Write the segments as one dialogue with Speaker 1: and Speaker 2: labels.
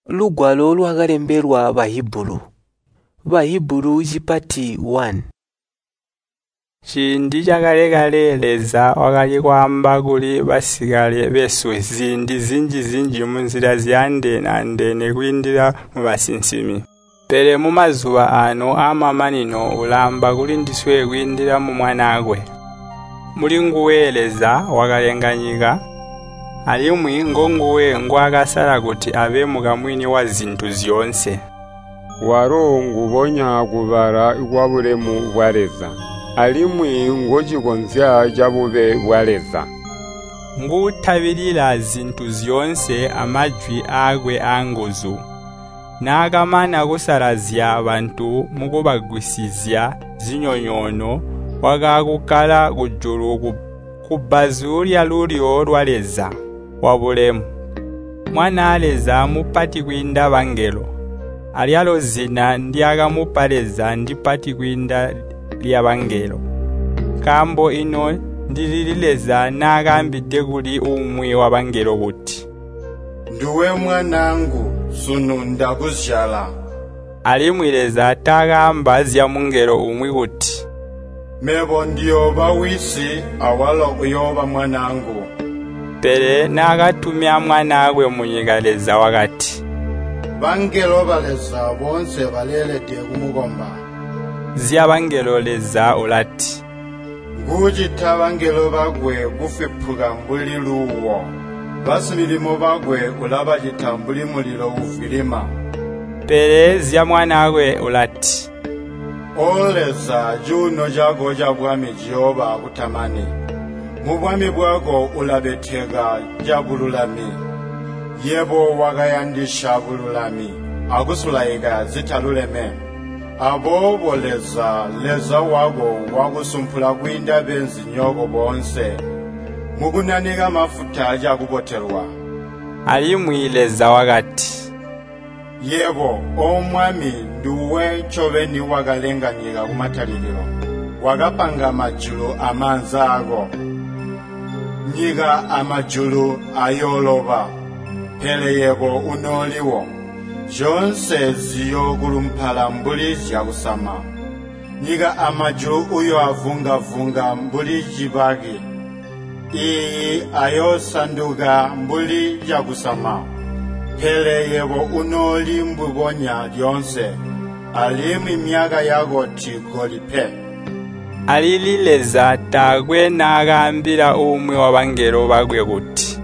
Speaker 1: Lugwalo lwakalembelwa Bahibulu. Bahibulu cipati 1.
Speaker 2: Ciindi cakale-kale Leza wakali kwaamba kuli basikale besu ziindi zinji-zinji munzila zyaandeene-andeene kwiindila mubasinsimi. Pele mumazuba aano aamamanino ulaamba kulindiswe kwiindila mu Mwanaakwe. Mulinguwe Leza wakalenga nyika, alimwi ngonguwe ngwaakasala kuti abe mukamwini wazintu zyoonse.
Speaker 3: Walo ngubonya kubala kwabulemu bwa Leza, alimwi ngocikozya cabube bwa Leza.
Speaker 2: Nguutabilila zintu zyoonse amajwi aakwe aanguzu. Naakamana kusalazya bantu mukubagwisizya zinyonyoono, wakaakukkala kujulu kubbazu lyalulyo lwa Leza wabulemu. Mwanaa Leza mupati kwiinda bangelo, alyalo zina ndyaakamupa Leza ndipati kwiinda lyabangelo. Nkaambo ino ndilili Leza naakaambide kuli umwi wabangelo kuti,
Speaker 4: “Nduwe mwanaangu, sunu ndakuzyala.”
Speaker 2: Alimwi Leza taakaamba zyamungelo umwi kuti,
Speaker 4: “Mebo ndiyooba wisi, awalo uyooba mwanaangu.”
Speaker 2: Pele naakatumya Mwanaakwe munyika Leza wakati,
Speaker 4: “Bangelo ba Leza boonse baleelede kumukomba.”
Speaker 2: Zyabangelo Leza ulati,
Speaker 4: “Nguucita bangelo bakwe kufwipuka mbuli luuwo, basimilimo bakwe ulabacita mbuli mulilo uuvwilima.”
Speaker 2: Pele zya Mwanaakwe ulati,
Speaker 4: “O Leza, cuuno cako cabwami ciyooba akutamani. Mubwami bwako ulabeteka cabululami. Yebo wakayandisya bululami akusulaika zitaluleme. Aboobo Leza, Leza wako wakusumpula kwiinda beenzinyoko boonse, mukunanika mafuta cakubotelwa.”
Speaker 2: Alimwi Leza wakati,
Speaker 4: “Yebo, O Mwami, nduwe ncobeni wakalenga nyika kumatalikilo, wakapanga majulu amaanza aako. Nyika amajulu ayooloba, pele yebo unooliwo. Zyoonse ziyookulumpala mbuli zyakusama. Nyika amajulu uyooavunga-vunga mbuli cibaki. Iiyi ayoosanduka mbuli cakusama. Pele yebo unooli mbubonya lyoonse, alimwi myaka yako tiigoli pe.”
Speaker 2: Alili Leza taakwe naakaambila umwi wabangelo bakwe kuti,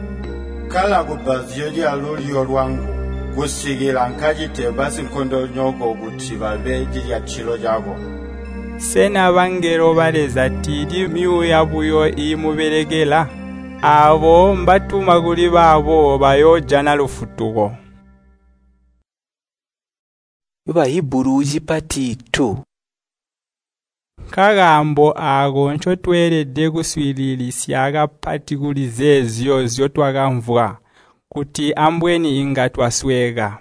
Speaker 4: “Kkala kubbazu lyalulyo lwangu, kusikila nkacite basinkondonyoko kuti babe cilyatilo cako.”
Speaker 2: Sena bangelo ba Leza tiili myuuya buyo iimubelekela? Aabo mbatuma kuli baabo bayoojana lufutuko.
Speaker 1: Bahibulu cipati 2.
Speaker 2: Nkakaambo aako ncotweelede kuswiililisya kapati kuli zeezyo nzyotwakamvwa, kuti ambweni inga twasweeka.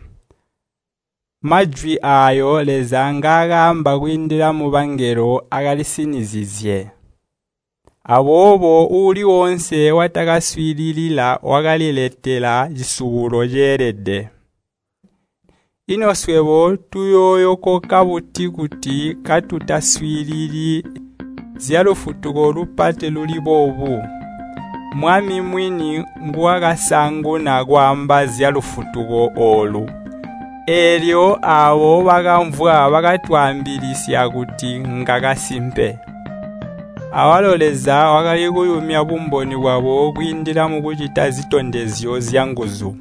Speaker 2: Majwi aayo Leza ngaakaamba kwiindila mubangelo akalisinizizye. Aboobo uuli woonse watakaswiilila wakaliletela cisubulo ceelede. Ino swebo tuyooyokoka buti kuti katutaswiilili zyalufutuko lupati luli boobu? Mwami mwini nguwakasaanguna kwaamba zyalufutuko oolu. Eelyo aabo bakamvwa bakatwaambilisya kuti ngakasimpe. Awalo Leza wakali kuyumya bumboni bwabo kwiindila mukucita zitondezyo zyanguzu,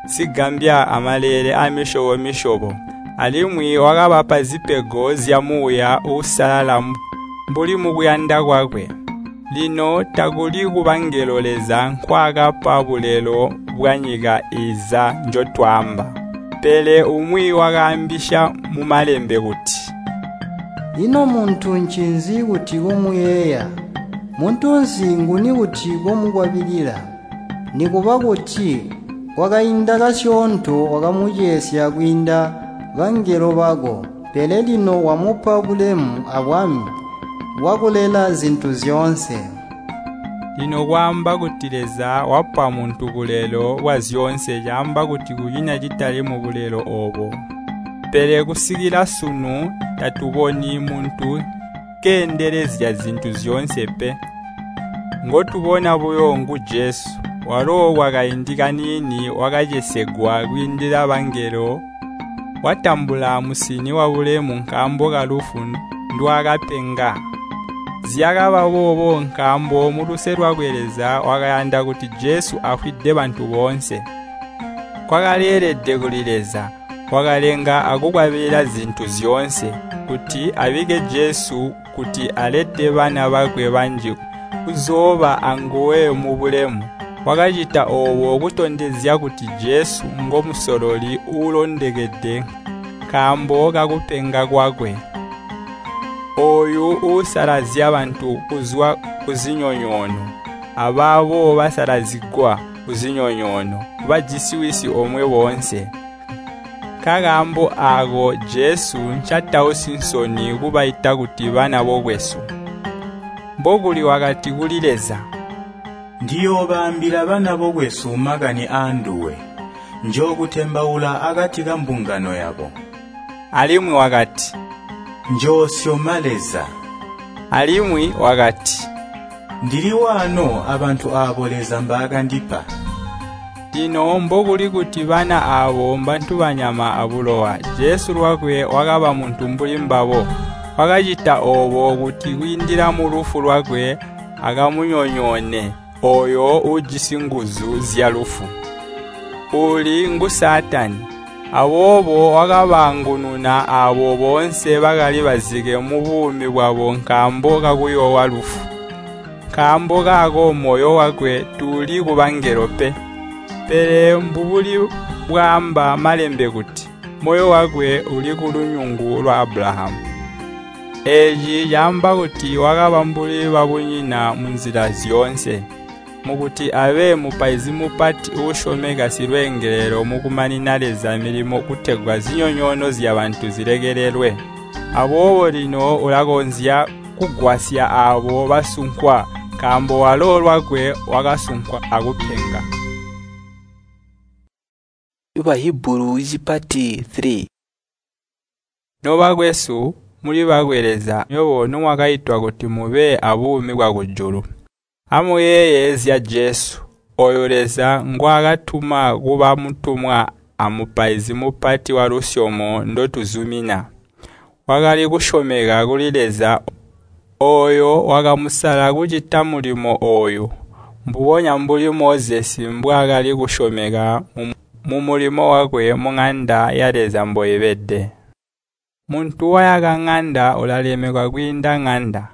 Speaker 2: zigambya amaleele aamisyobo-misyobo. Alimwi wakabapa zipego zya Muuya Uusalala mbuli mukuyanda kwakwe. Lino takuli kubangelo Leza nkwaakapa bulelo bwanyika iiza njotwaamba. Pele umwi wakaambisya mumalembe kuti,
Speaker 5: “Ino muntu ncinzi kuti komuyeeya? Muntunsi nguni kuti komukwabilila? Nikuba kuti kwakainda kasyoonto wakamucesya kwiinda bangelo bako, pele lino wamupa bulemu abwami bwakulela zintu zyoonse.”
Speaker 2: Lino kwaamba kuti Leza wapa muntu bulelo bwazyoonse caamba kuti kunyina citali mubulelo oobo. Pele kusikila sunu tatuboni muntu keendelezya zintu zyoonse pe. Ngotubona buyo ngu Jesu, walo kwakaindi kaniini wakacesegwa kwiindila bangelo, watambula musini wabulemu nkaambo kalufu ndwaakapenga. Zyakaba boobo nkaambo muluse lwakwe Leza wakayanda kuti Jesu afwide bantu boonse. Kwakaleelede kuli Leza, wakalenga akukwabilila zintu zyoonse, kuti abike Jesu kuti alete bana bakwe banji kuzooba anguwe mubulemu. Wakacita oobo kutondezya kuti Jesu ngomusololi uulondekede nkaambo kakupenga kwakwe. Ooyu uusalazya bantu kuzwa kuzinyonyoono, abaabo basalazigwa kuzinyonyoono, bajisi wisi omwe boonse. Nkakaambo aako Jesu ncatausi nsoni kubaita kuti bana bokwesu. Mbokuli wakati kuli Leza,
Speaker 6: Ndiyoobaambila bana bokwesu makani aanduwe, njookutembaula akati kambungano yabo.
Speaker 2: Alimwi wakati,
Speaker 6: Njoosyoma Leza.
Speaker 2: Alimwi wakati,
Speaker 6: Ndili waano abantu aabo Leza mbaakandipa.
Speaker 2: Lino mbokuli kuti bana aabo mbantu banyama abulowa, Jesu lwakwe wakaba muntu mbuli mbabo. Wakacita oobo kuti kwiindila mulufu lwakwe akamunyonyoone ooyo uujisi nguzu zyalufu, uuli ngu Saatani. Aboobo wakabaangununa aabo boonse bakali bazike mubuumi bwabo nkaambo kakuyoowa lufu. Nkaambo kaako moyo wakwe tuuli kubangelo pe. Pele mbubuli bwaamba malembe kuti, moyo wakwe uli kulunyungu lwa Abulahamu. Eeci caamba kuti wakaba mbuli babunyina munzila zyoonse, mukuti abe mupaizi mupati uusyomeka silweengelelo mukumanina Leza milimo kutegwa zinyonyoono zyabantu zilekelelwe. Aboobo lino ulakonzya kugwasya aabo basunkwa, nkaambo walo lwakwe wakasunkwa akupenga.
Speaker 1: Bahibulu cipati 3.
Speaker 2: Nobakwesu, muli bakwe Leza, nywebo nomwakaitwa kuti mube abuumi bwakujulu. Amuyeeye zya Jesu, ooyo Leza ngwaakatuma kuba mutumwa amupaizi mupati walusyomo ndotuzumina. Wakali kusyomeka kuli Leza ooyo wakamusala kucita mulimo ooyu, mbubonya mbuli Mozesi mbwaakali kusyomeka mumulimo wakwe muŋanda ya Leza mboibede. Muntu wayaka ŋanda ulalemekwa kwiinda ŋanda.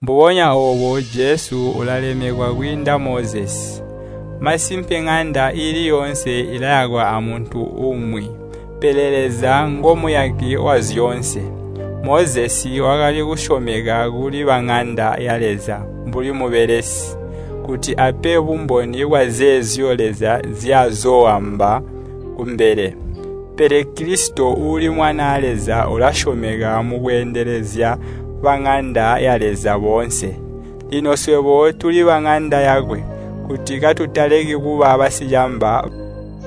Speaker 2: Mbubonya oobo Jesu ulalemekwa kwiinda Mozesi. Masimpe ŋanda iili yoonse ilayakwa amuntu umwi, pele Leza ngomuyaki wazyoonse. Mozesi wakali kusyomeka kuli baŋanda ya Leza mbuli mubelesi, kuti ape bumboni bwazeezyo Leza nzyazooamba kumbele. Pele Kilisito uuli Mwanaa Leza ulasyomeka mukweendelezya baŋanda ya Leza boonse. Lino swebo tuli baŋanda yakwe, kuti katutaleki kuba basicamba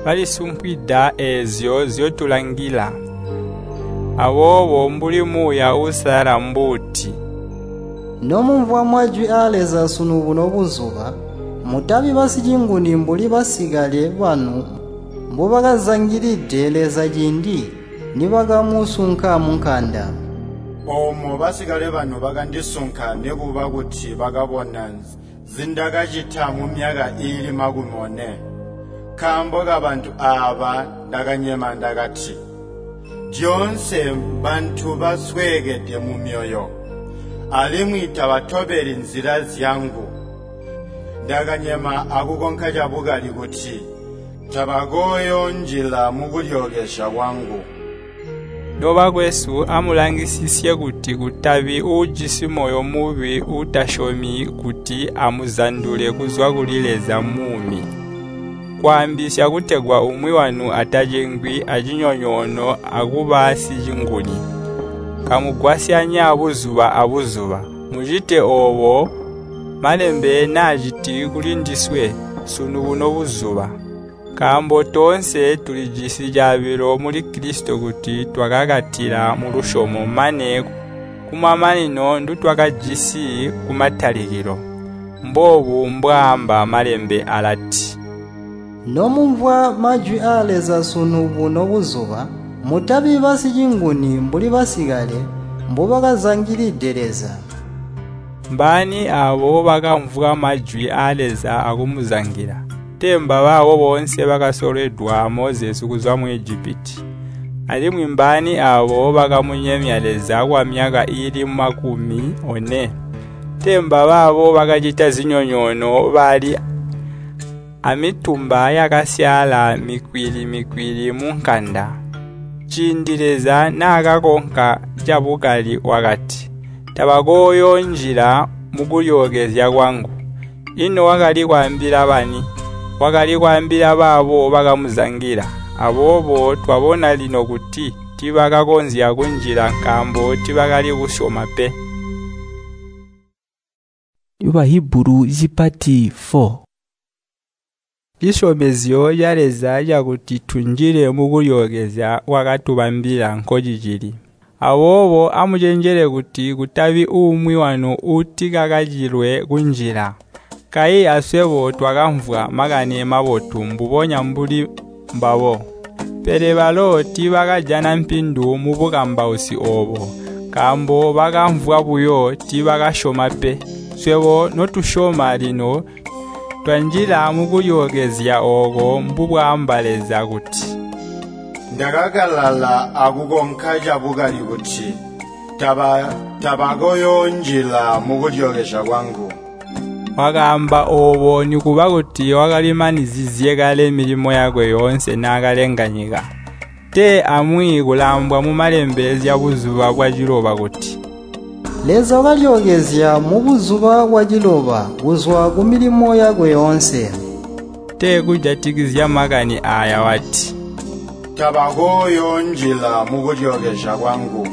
Speaker 2: balisumpwida eezyo nzyotulangila. Aboobo mbuli Muuya Uusalala mbuuti,
Speaker 5: Nomumvwa majwi aa Leza sunu buno buzuba, mutabi basicinguni mbuli basikale banu mbubakazangilide Leza ciindi nibakamusunka munkanda.
Speaker 4: Oomo basikale banu bakandisunka nikuba kuti bakabona nzindakacita mumyaka iili 40. Nkaambo kabantu aaba ndakanyema ndakati, lyoonse bantu basweekede mumyoyo, alimwi tabatobeli nzila zyangu. Ndakanyema akukonka cabukali kuti tabakoyoonjila mukulyookezya kwangu.
Speaker 2: Nobakwesu, amulangisisye kuti kutabi uujisi moyo mubi uutasyomi kuti amuzandule kuzwa kuli Leza muumi. Kwaambisya kutegwa umwi wanu atacengwi acinyonyoono akuba sicinguni. Kamugwasyanya buzuba abuzuba, mucite oobo Malembe naaciti kulindiswe sunu buno buzuba. Nkaambo toonse tulijisi caabilo muli Kilisito kuti twakakatila mulusyomo mane kumamanino ndutwakajisi kumatalikilo. Mboobu mbwaamba Malembe alati,
Speaker 5: Nomumvwa majwi aa Leza sunu buno buzuba, mutabi basicinguni mbuli basikale mbubakazangilide Leza.
Speaker 2: Mbaani aabo bakamvwa majwi aa Leza akumuzangila? Tee mbabaabo boonse bakasolwedwa a Mozesi kuzwa mu Ijipiti. Alimwi mbaani aabo bakamunyemya Leza kwamyaka iili 40? Tee mbabaabo bakacita zinyonyoono bali amitumba yakasyaala mikwili-mikwili munkanda. Ciindi Leza naakakonka cabukali wakati, “Tabakooyoonjila mukulyookezya kwangu.” Ino wakali kwaambila bani? Wakali kwaambila baabo bakamuzangila. Aboobo twabona lino kuti tiibakakonzya kunjila nkaambo tiibakali kusyoma pe.
Speaker 1: Bahibulu cipati 4.
Speaker 2: Cisyomezyo ca Leza cakuti tunjile mukulyookezya kwakatubambila nkocicili. Aboobo amucenjele kuti kutabi umwi wanu uutikakacilwe kunjila. Kayi aswebo twakamvwa Makani Mabotu mbubonya mbuli mbabo. Pele balo tiibakajana mpindu mubukambausi oobo, nkaambo bakamvwa buyo tiibakasyoma pe. Swebo notusyoma lino twanjila mukulyookezya ooko mbubwaamba Leza kuti,
Speaker 4: Ndakakalala akukonka cabukali kuti, tabakoyoonjila mukulyookezya kwangu.
Speaker 2: Wakaamba oobo nikuba kuti wakalimanizizye kale milimo yakwe yoonse naakalenga nyika. Tee amwi kulaambwa mumalembe zyabuzuba bwaciloba kuti,
Speaker 5: Leza wakalyookezya mubuzuba bwaciloba kuzwa kumilimo yakwe yoonse.
Speaker 2: Tee kujatikizya makani aaya wati,
Speaker 4: Tabakooyoonjila mukulyookezya kwangu.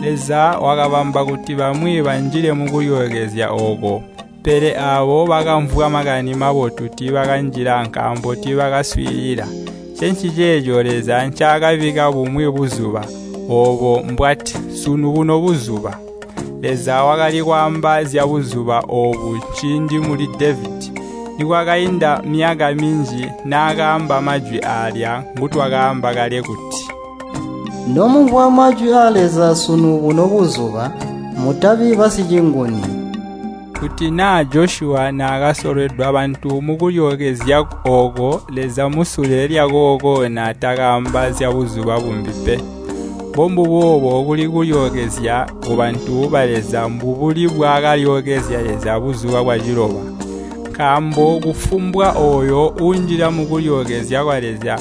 Speaker 2: Leza wakabamba kuti bamwi banjile mukulyookezya ooko, pele aabo bakamvwa Makani Mabotu tiibakanjila nkaambo tiibakaswiilila. Ncenciceeco Leza ncaakabikka bumwi buzuba, oobo mbwati, “Sunu buno buzuba.” Leza wakali kwaamba zyabuzuba oobu ciindi muli Devedi, nikwakainda myaka minji naakaamba majwi aalya ngutwakaamba kale kuti,
Speaker 5: Nomumvwa majwi aa Leza sunu buno buzuba, mutabi basicinguni.
Speaker 2: Kuti naa Josyuwa naakasolwedwa bantu mukulyookezya ooko, Leza musule lyakooko naatakaamba zyabuzuba bumbi pe. Mbombuboobo kuli kulyookezya kubantu ba Leza mbubuli bwakalyookezya Leza buzuba bwaciloba. Nkaambo kufumbwa ooyo uunjila mukulyookezya kwa Leza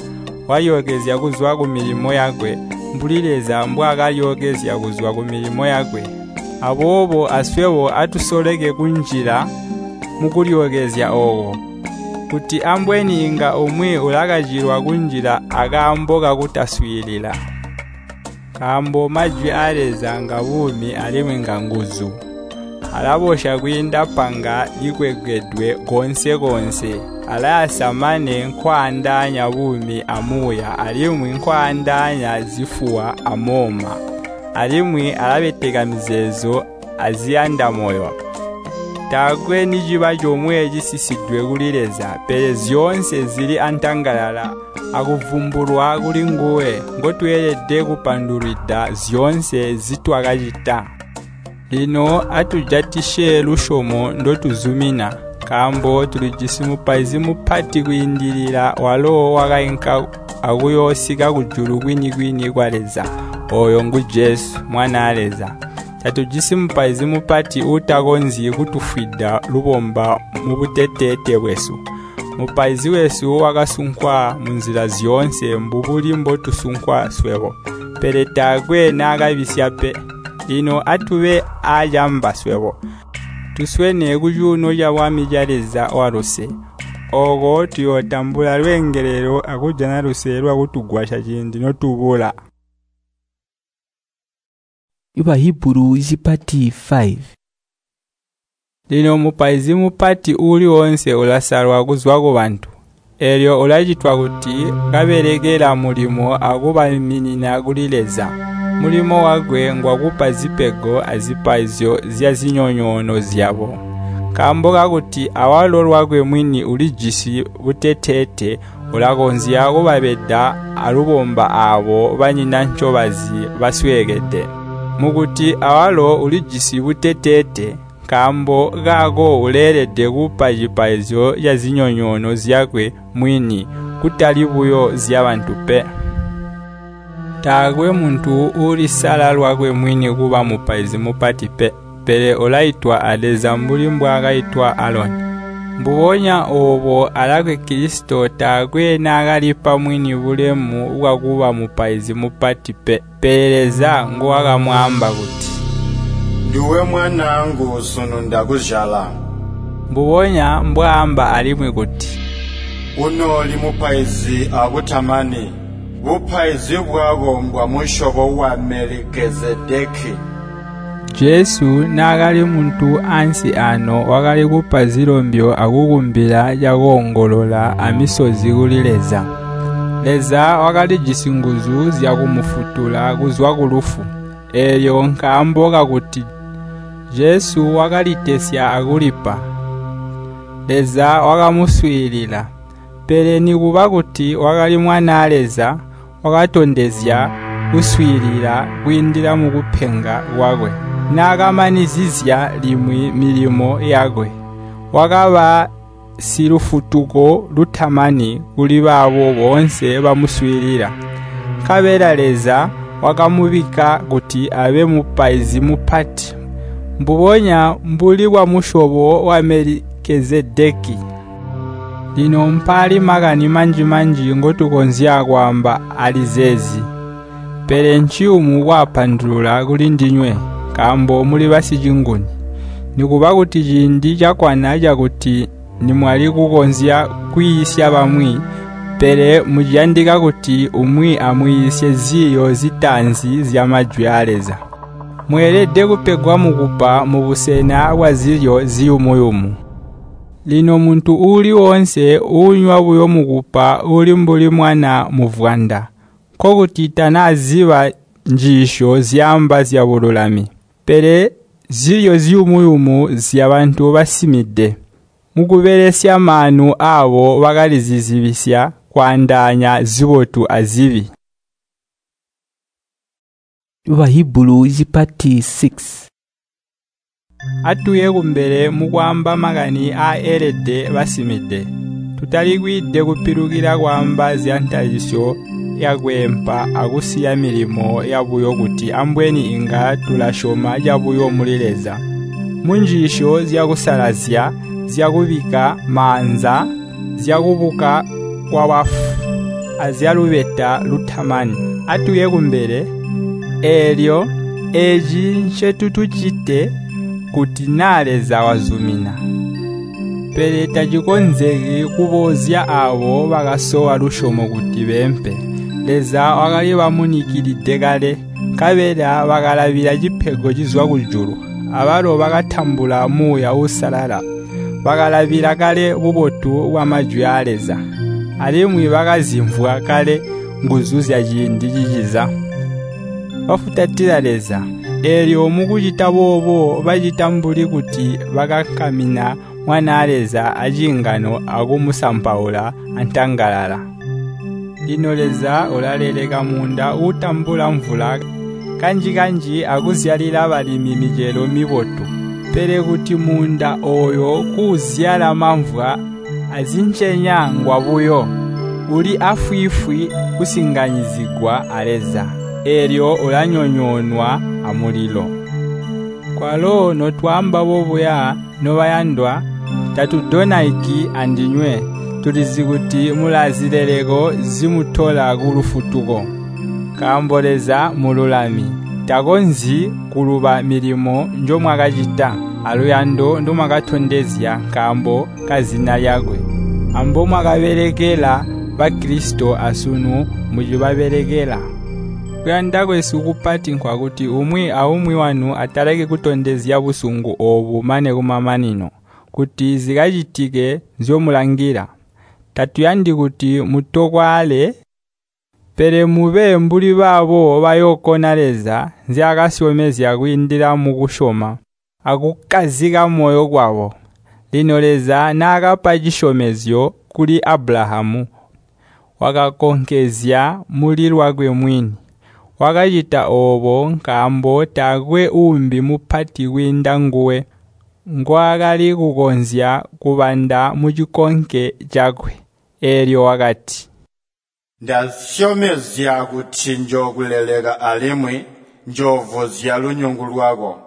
Speaker 2: walyookezya kuzwa kumilimo yakwe, mbuli Leza mbwaakalyookezya kuzwa kumilimo yakwe. Aboobo aswebo atusoleke kunjila mukulyookezya ooko, kuti ambweni inga umwi ulakacilwa kunjila akaambo kakutaswiilila. Nkaambo majwi aa Leza ngabuumi alimwi nganguzu. Alabosya kwiinda panga likwegedwe koonse-koonse, alayasa mane nkwaandaanya buumi amuuya alimwi nkwaandaanya zifuwa amooma. Alimwi alabeteka mizeezo aziyanda moyo. Taakwe niciba comwe cisisidwe kuli Leza, pele zyoonse zili antangalala akuvumbulwa kulinguwe ngotweelede kupandulwida zyoonse nzitwakacita. Lino atujatisye lusyomo ndotuzumina, nkaambo tulijisi Mupaizi Mupati kwiindilila walo wakainka akuyoosika kujulu kwini-kwini kwa Leza, ooyo ngu Jesu, Mwanaa Leza. Tatujisi Mupaizi Mupati uutakonzyi kutufwida lubomba mubuteteete bwesu. Mupaizi wesu wakasunkwa munzila zyoonse mbubuli mbotusunkwa swebo, pele taakwe naakabisya pe. Lino atube aacamba swebo, tuswene kucuuno cabwami ca Leza waluse. Ooko tuyootambula lweengelelo akujana luse lwakutugwasya ciindi notubula.
Speaker 1: Bahibulu cipati 5.
Speaker 2: Lino mupaizi mupati uuli woonse ulasalwa kuzwa kubantu, eelyo ulacitwa kuti kabelekela mulimo akubaiminina kuli Leza. Mulimo wakwe ngwakupa zipego azipaizyo zyazinyonyoono zyabo. Nkaambo kakuti awalo lwakwe mwini ulijisi buteteete, ulakonzya kubabeda alubomba aabo banyina ncobazi basweekede. Mukuti awalo ulijisi buteteete, nkaambo kaako uleelede kupa cipaizyo cazinyonyoono zyakwe mwini, kutali buyo zyabantu pe. Taakwe muntu uulisala lwakwe mwini kuba mupaizi mupati pe, pele ulaitwa a Leza mbuli mbwaakaitwa Aloni. Mbubonya oobo alakwe Kilisito taakwe naakalipa mwini bulemu bwakuba mupaizi mupati pe, pele Leza nguwakamwaamba kuti,
Speaker 4: Nduwe mwanaangu, sunu ndakuzyala.
Speaker 2: Mbubonya mbwaamba alimwi kuti,
Speaker 4: Unooli mupaizi akutamani, bupaizi bwako mbwa musyobo wa Melikezedeki.
Speaker 2: Jesu naakali muntu ansi ano wakali kupa zilombyo akukumbila cakoongolola amisozi kuli Leza. Leza wakalijisi nguzu zyakumufutula kuzwa kulufu. Eelyo nkaambo kakuti Jesu wakalitesya akulipa, Leza wakamuswiilila. Pele nikuba kuti wakali Mwanaa Leza, wakatondezya kuswiilila kwiindila mukupenga kwakwe. Naakamanizizya limwi milimo yakwe, wakaba silufutuko lutamani kuli baabo boonse bamuswiilila. Nkabela Leza wakamubikka kuti abe mupaizi mupati, mbubonya mbuli bwamusyobo wa Melikezedeki. Lino mpaali makani manji-manji ngotukonzya kwaamba ali zeezi, pele nciyumu kwaapandulula kulindinywe, nkaambo muli basicinguni. Nikuba kuti ciindi cakwana cakuti nimwali kukonzya kwiisya bamwi, pele muciyandika kuti umwi amwiisye ziiyo zitaanzi zyamajwi aa Leza. Mweelede kupegwa mukupa mubusena bwazilyo ziyumu-yumu. Lino muntu uuli woonse uunywa buyo mukupa uli mbuli mwana muvwanda, nkokuti tanaaziba njiisyo zyaamba zyabululami. Pele zilyo ziyumu-yumu zyabantu basimide. Mukubelesya maanu aabo bakalizizibisya kwaandaanya zibotu azibi.
Speaker 1: Bahibulu zipati 6.
Speaker 2: Atuye kumbele mukwaamba makani aaelede basimide. Tutalikwide kupilukila kwaamba zyantalisyo yakweempa akusiya milimo yabuyo kuti ambweni inga tulasyoma cabuyo muli Leza. Munjiisyo zyakusalazya, zyakubikka maanza, zyakubuka kwabafu, azyalubeta lutamani. Atuye kumbele, eelyo eeci ncetutucite kuti naa Leza wazumina. Pele tacikonzeki kuboozya aabo bakasowa lusyomo kuti beempe. Leza wakali bamunikilide kale, nkabela bakalabila cipego cizwa kujulu. Abalo bakatambula Muuya Uusalala. Bakalabila kale bubotu bwamajwi aa Leza, alimwi bakazimvwa kale nguzu zyaciindi ciciza. Bafutatila Leza, eelyo mukucita boobo bacita mbuli kuti bakankamina Mwanaa Leza aciingano akumusampaula antangalala. Lino Leza ulaleleka muunda uutambula mvula kanji-kanji akuzyalila balimi micelo mibotu. Pele kuti muunda ooyo kuuzyala mamvwa azincenya ngwabuyo, uli afwiifwi kusinganyizigwa a Leza, eelyo ulanyonyoonwa amulilo. Kwalo notwaamba bobuya, nobayandwa, tatudonaiki andinywe, tulizi kuti mulaazileleko zimutola kulufutuko. Nkaambo Leza mululami, takonzyi kuluba milimo njomwakacita aluyando ndomwakatondezya nkaambo kazina lyakwe, ambomwakabelekela Bakilisito asunu mucibabelekela. Kuyanda kwesu kupati nkwakuti umwi aumwi wanu ataleki kutondezya busungu oobu mane kumamanino, kuti zikacitike nzyomulangila. Tatuyandi kuti mutokwaale, pele mube mbuli baabo bayookona Leza nzyaakasyomezya kwiindila mukusyoma akukkazika moyo kwabo. Lino Leza naakapa cisyomezyo kuli Abulahamu, wakakonkezya muli lwakwe mwini. Wakacita oobo nkaambo taakwe uumbi mupati kwiinda nguwe ngwaakali kukonzya kubanda mucikonke cakwe. Eelyo wakati,
Speaker 4: Ndasyomezya kuti njookuleleka alimwi njoovuzya lunyungu lwako.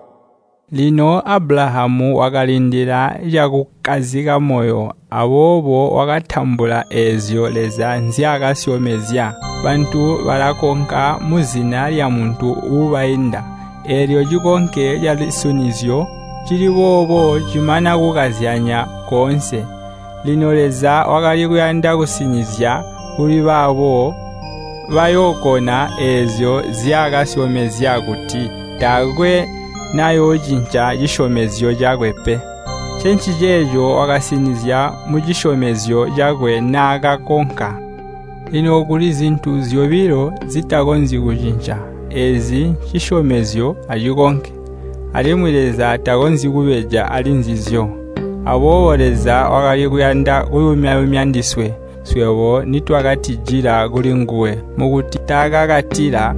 Speaker 2: Lino Abulahamu wakalindila cakukkazika moyo, aboobo wakatambula eezyo Leza nzyaakasyomezya. Bantu balakonka muzina lyamuntu uubainda, eelyo cikonke calisinizyo cili boobo cimana kukazyanya koonse. Lino Leza wakali kuyanda kusinizya kuli baabo bayookona eezyo nzyaakasyomezya kuti taakwe nayoocinca cisyomezyo cakwe pe. Ncenciceeco wakasinizya mucisyomezyo cakwe naakakonka. Lino kuli zintu zyobilo zitakonzyi kucinca, eezi ncisyomezyo acikonke. Alimwi Leza takonzyi kubeja ali nzizyo. Aboobo Leza wakali kuyanda kuyumya-yumya ndiswe, swebo nitwakatijila kulinguwe, mukuti taakakatila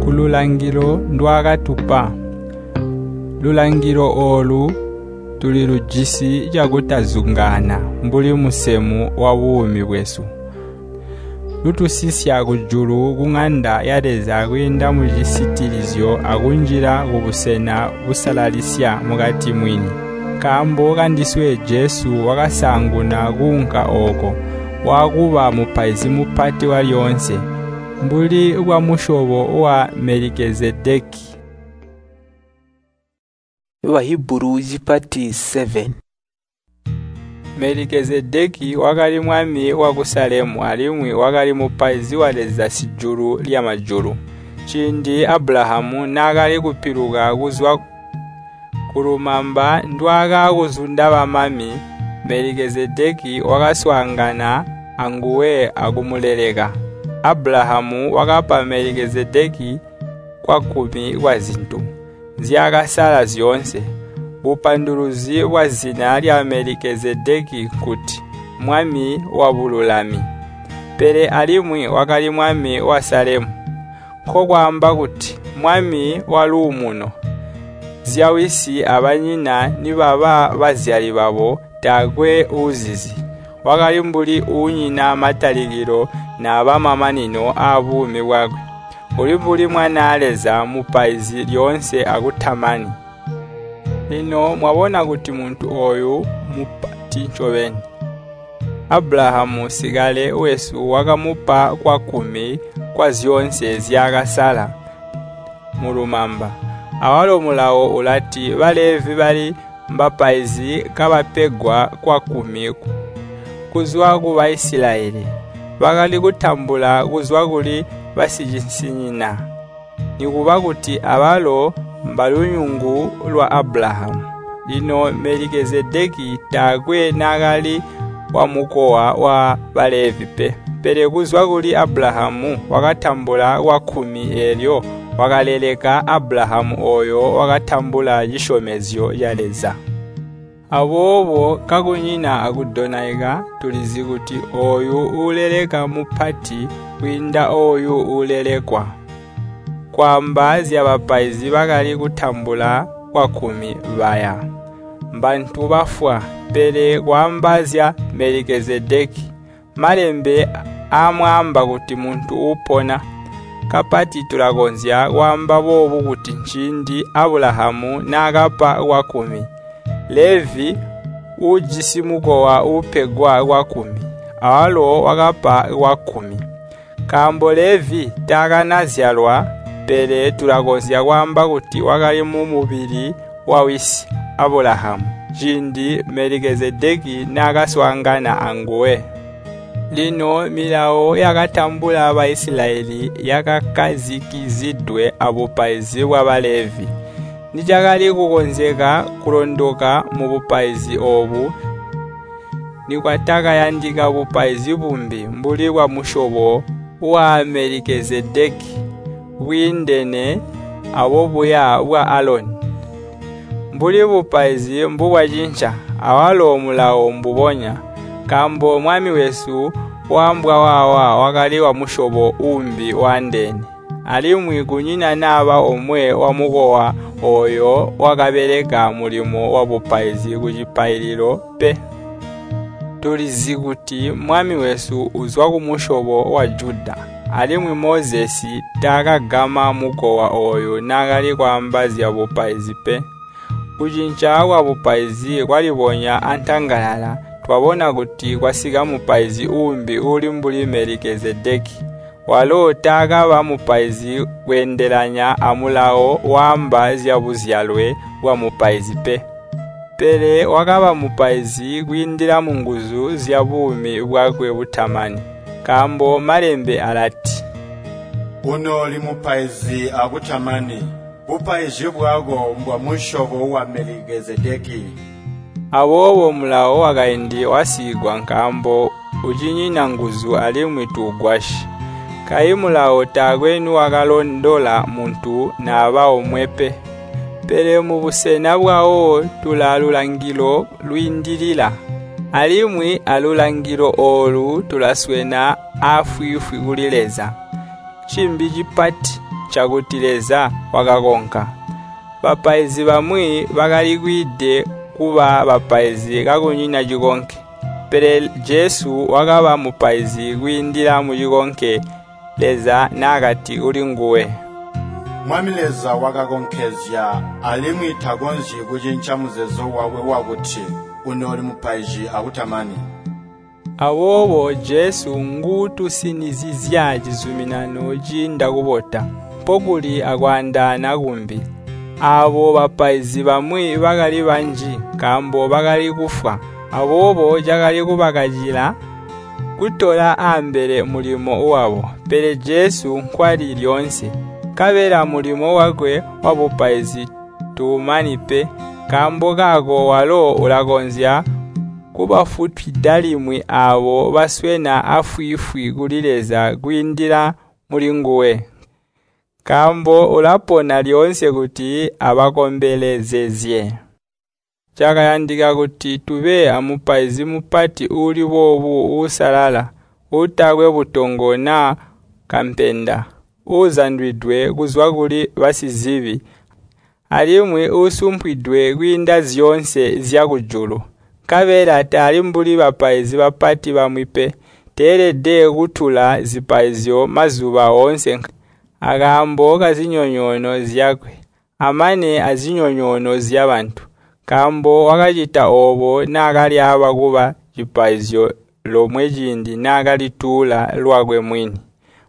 Speaker 2: kululangilo ndwaakatupa. Lulangilo oolu tulilujisi cakutazungaana mbuli musemu wabuumi bwesu. Lutusisya kujulu kuŋanda ya Leza kwiinda mucisitilizyo akunjila kubusena busalalisya mukati mwini. Nkaambo kandiswe Jesu wakasaanguna kuunka ooko, waakuba mupaizi mupati walyoonse, mbuli bwamusyobo wa Melikezedeki.
Speaker 1: Bahibulu cipati 7.
Speaker 2: Melikezedeki wakali mwami waku Salemu alimwi wakali mupaizi wa Leza sijulu lyamajulu. Ciindi Abulahamu naakali kupiluka kuzwa kulumamba ndwaakakuzunda bamami, Melikezedeki wakaswaangana anguwe akumuleleka. Abulahamu wakapa Melikezedeki kwakkumi kwazintu nzyaakasala zyoonse. Bupanduluzi bwazina lya Melikezedeki nkuti Mwami wabululami. Pele alimwi wakali mwami wa Salemu, nkokwaamba kuti Mwami waluumuno. Zyawisi abanyina nibaba bazyali babo taakwe uuzizi. Wakali mbuli uunyina matalikilo naaba mamanino aabuumi bwakwe. Uli mbuli Mwanaa Leza mupaizi lyoonse akutamani. Lino mwabona kuti muntu ooyu mupati ncobeni. Abulahamu sikale wesu wakamupa kwakkumi kwazyoonse nzyaakasala mulumamba. Awalo Mulawo ulati Balevi bali mbapaizi kabapegwa kwakkumi kuzwa ku Baisilayeli. Bakali kutambula kuzwa kuli basicisinyina, nikuba kuti abalo mbalunyungu lwa Abulahamu. Lino Melikezedeki taakwe naakali wamukowa wa Balevi pe, pele kuzwa kuli Abulahamu wakatambula kwakkumi eelyo wakaleleka Abulahamu ooyo wakatambula cisyomezyo ca Leza. Aboobo kakunyina akudonaika tulizi kuti ooyu uuleleka mupati kwiinda ooyu uulelekwa. Kwaamba zyabapaizi bakali kutambula kwakkumi baya, mbantu bafwa, pele kwaamba zya Melikezedeki, malembe aamwaamba kuti muntu uupona. Kapati tulakonzya kwaamba boobu kuti ciindi Abulahamu naakapa kwakkumi, Levi uujisi mukowa uupegwa kwakkumi, awalo wakapa kwakkumi. Nkaambo Levi taakanazyalwa, pele tulakonzya kwaamba kuti wakali mumubili wawisi Abulahamu ciindi Melikezedeki naakaswaangana anguwe. Lino milawo yakatambula Baisilayeli yakakkazikizidwe abupaizi bwa Balevi. Nicakali kukonzeka kulondoka mubupaizi oobu, nikwatakayandika bupaizi bumbi mbuli bwamusyobo wa Melikezedeki bwiindene abobuya bwa Aloni. Mbuli bupaizi mbubwacinca, awalo mulawo mbubonya, nkaambo Mwami wesu waambwa waawa wakali wamusyobo uumbi waandeene, alimwi kunyina naba omwe wamukowa ooyo wakabeleka mulimo wabupaizi kucipaililo pe. Tulizi kuti Mwami wesu uzwa kumusyobo wa Juda, alimwi Mozesi taakagama mukowa ooyu naakali kwaamba zyabupaizi pe. Kucinca kwabupaizi kwalibonya antangalala, twabona kuti kwasika mupaizi uumbi uuli mbuli Melikezedeki. Walo taakaba mupaizi kweendelanya amulawo waamba zyabuzyalwe bwamupaizi pe. Pele wakaba mupaizi kwiindila munguzu zyabuumi bwakwe butamani. Nkaambo Malembe alati,
Speaker 4: Unooli mupaizi akutamani, bupaizi bwako mbwamusyobo wa Melikezedeki.
Speaker 2: Aboobo mulawo wakaindi wasiigwa nkaambo ucinyina nguzu alimwi tuugwasyi. Kayi mulawo taakwe nuwakalondola muntu naba omwe pe. Pele mubusena bwawo tulaalulangilo lwiindilila, alimwi alulangilo oolu tulaswena aafwiifwi kuli Leza. Cimbi cipati ncakuti Leza wakakonka. Bapaizi bamwi bakali kwiide kuba bapaizi kakunyina cikonke, pele Jesu wakaba mupaizi kwiindila mucikonke Leza naakati kulinguwe,
Speaker 4: Mwami Leza wakakonkezya alimwi takonzyi kucinca muzeezo wakwe wakuti unooli mupaizi akutamani.
Speaker 2: Aboobo Jesu nguutusinizizya cizuminano ciinda kubota, mpokuli akwaandaana kumbi. Aabo bapaizi bamwi bakali banji nkaambo bakali kufwa, aboobo cakali kubakacila kutola ambele mulimo wabo. Pele Jesu nkwali lyoonse, nkabela mulimo wakwe wabupaizi tuumani pe. Nkaambo kaako walo ulakonzya kubafutwida limwi aabo baswena afwiifwi kuli Leza kwiindila mulinguwe. Nkaambo ulapona lyoonse kuti abakombelezezye. Cakayandika kuti tube amupaizi mupati uuli boobu uusalala, uutakwe butongo naa kampenda, uuzandwidwe kuzwa kuli basizibi, alimwi uusumpwidwe kwiinda zyoonse zyakujulu. Nkabela tali mbuli bapaizi bapati bamwi pe, teelede kutula zipaizyo mazuba oonse akaambo kazinyonyoono zyakwe, amane azinyonyoono zyabantu. Nkaambo wakacita oobo naakalyaaba kuba cipaizyo lomwe ciindi naakalituula lwakwe mwini.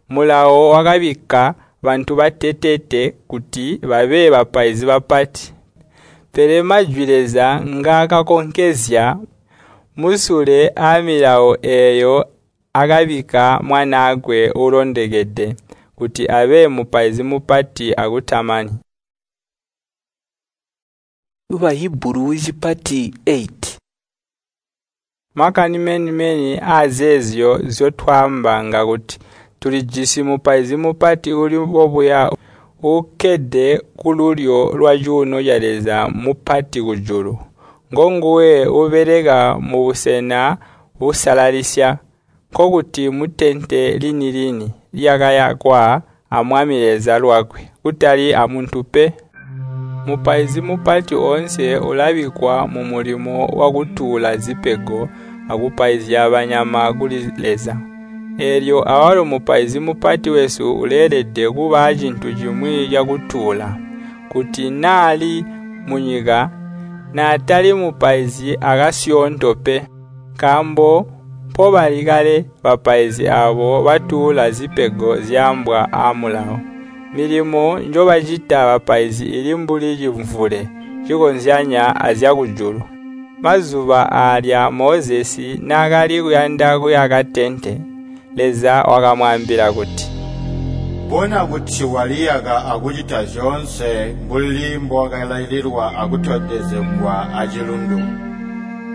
Speaker 2: Mulawo wakabikka bantu bateteete kuti babe bapaizi bapati. Pele majwi Leza ngaakakonkezya musule aamilawo eeyo akabikka Mwanaakwe uulondokede kuti abe mupaizi mupati akutamani.
Speaker 1: Bahibulu cipati 8.
Speaker 2: Makani meni-meni aazeezyo nzyotwaamba ngakuti tulijisi mupaizi mupati uuli bobuya uukkede kululyo lwacuuno ca Leza mupati kujulu. Ngonguwe uubeleka mubusena busalalisya, nkokuti mutente lini-lini lyakayakwa a Mwami Leza lwakwe, kutali amuntu pe. Mupaizi mupati oonse ulabikkwa mumulimo wakutuula zipego akupaizya banyama kuli Leza. Eelyo awalo mupaizi mupati wesu uleelede kuba acintu cimwi cakutuula, kuti naali munyika, naatali mupaizi akasyoonto pe. Nkaambo mpobali kale bapaizi aabo batuula zipego zyaambwa aamulawo. Milimo njobacita bapaizi ili mbuli cimvule cikozyanya azyakujulu. Mazuba aalya Mozesi naakali kuyanda kuyaka tente, Leza wakamwaambila kuti,
Speaker 4: Bona kuti waliyaka akucita zyoonse mbuli mbowakalaililwa akutondezegwa acilundu.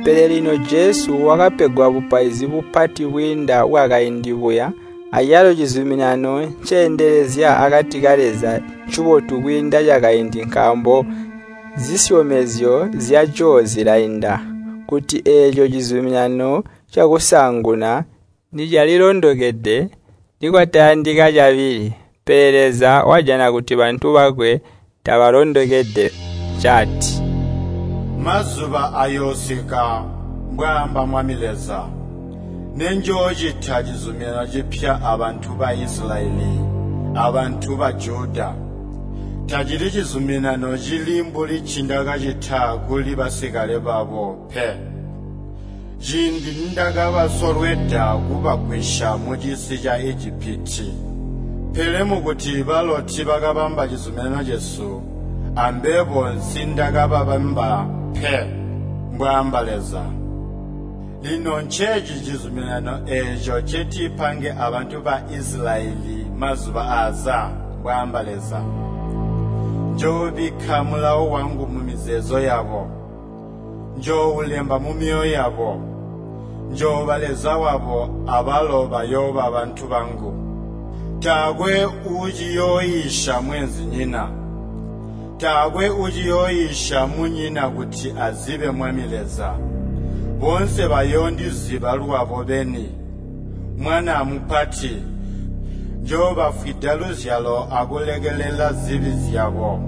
Speaker 2: Pele lino Jesu wakapegwa bupaizi bupati bwiinda bwakaindi buya, acalo cizuminano nceendelezya akati ka Leza ncibotu kwiinda cakaindi nkaambo zisyomezyo zyaco zilainda. Kuti eeco cizuminano cakusaanguna nicalilondokede, nikwatayandika cabili. Pele Leza wajana kuti bantu bakwe tabalondokede ncaati,
Speaker 4: Mazuba ayoosika, mbwaamba Mwami Leza, nenjoocita cizuminano cipya abantu ba Isilayeli abantu ba Juda. Tacili cizuminano cili mbuli ncindakacita kuli basikale babo pe. Ciindi nindakabasolweda kubagwisya mucisi ca Ijipiti. Pele mukuti balo tiibakabamba cizuminano cesu, ambebo nsindakababamba pe, mbwaamba Leza. Lino nceeci cizuminano eeco ncetipange abantu ba Isilayeli mazuba aaza, mbwaamba Leza. Njoobikka mulawo wangu mumizeezo yabo, njooulemba mumyoyo yabo. Njooba Leza wabo, abalo bayooba bantu bangu. Taakwe uuciyooyiisya mweenzinyina, taakwe uuciyooyiisya munyina kuti azibe Mwami Leza. Boonse bayoondiziba lwabo beni, mwana amupati. Njoobafwida luzyalo akulekelela zibi zyabo.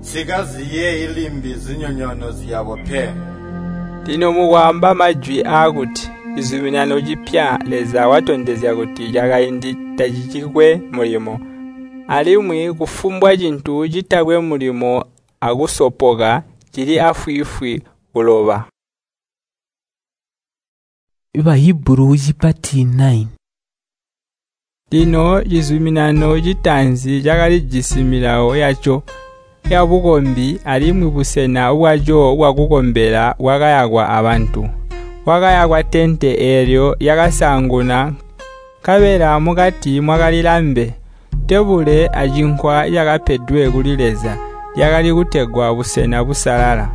Speaker 4: Nsikaziyeeyi limbi zinyonyoono zyabo pe.
Speaker 2: Lino mukwaamba majwi aakuti cizuminano cipya, Leza watondezya kuti cakaindi tacicikwe mulimo. Alimwi kufumbwa cintu citakwe mulimo akusopoka cili afwiifwi kuloba.
Speaker 1: Bahibulu cipati 9.
Speaker 2: Lino cizuminano citaanzi cakalijisi milawo yaco yabukombi alimwi busena bwaco bwakukombela bwakayakwa abantu. Kwakayakwa tente eelyo lyakasaanguna, nkabela mukati mwakali lambe, tebule acinkwa cakapedwe kuli Leza, lyakali kutegwa busena busalala.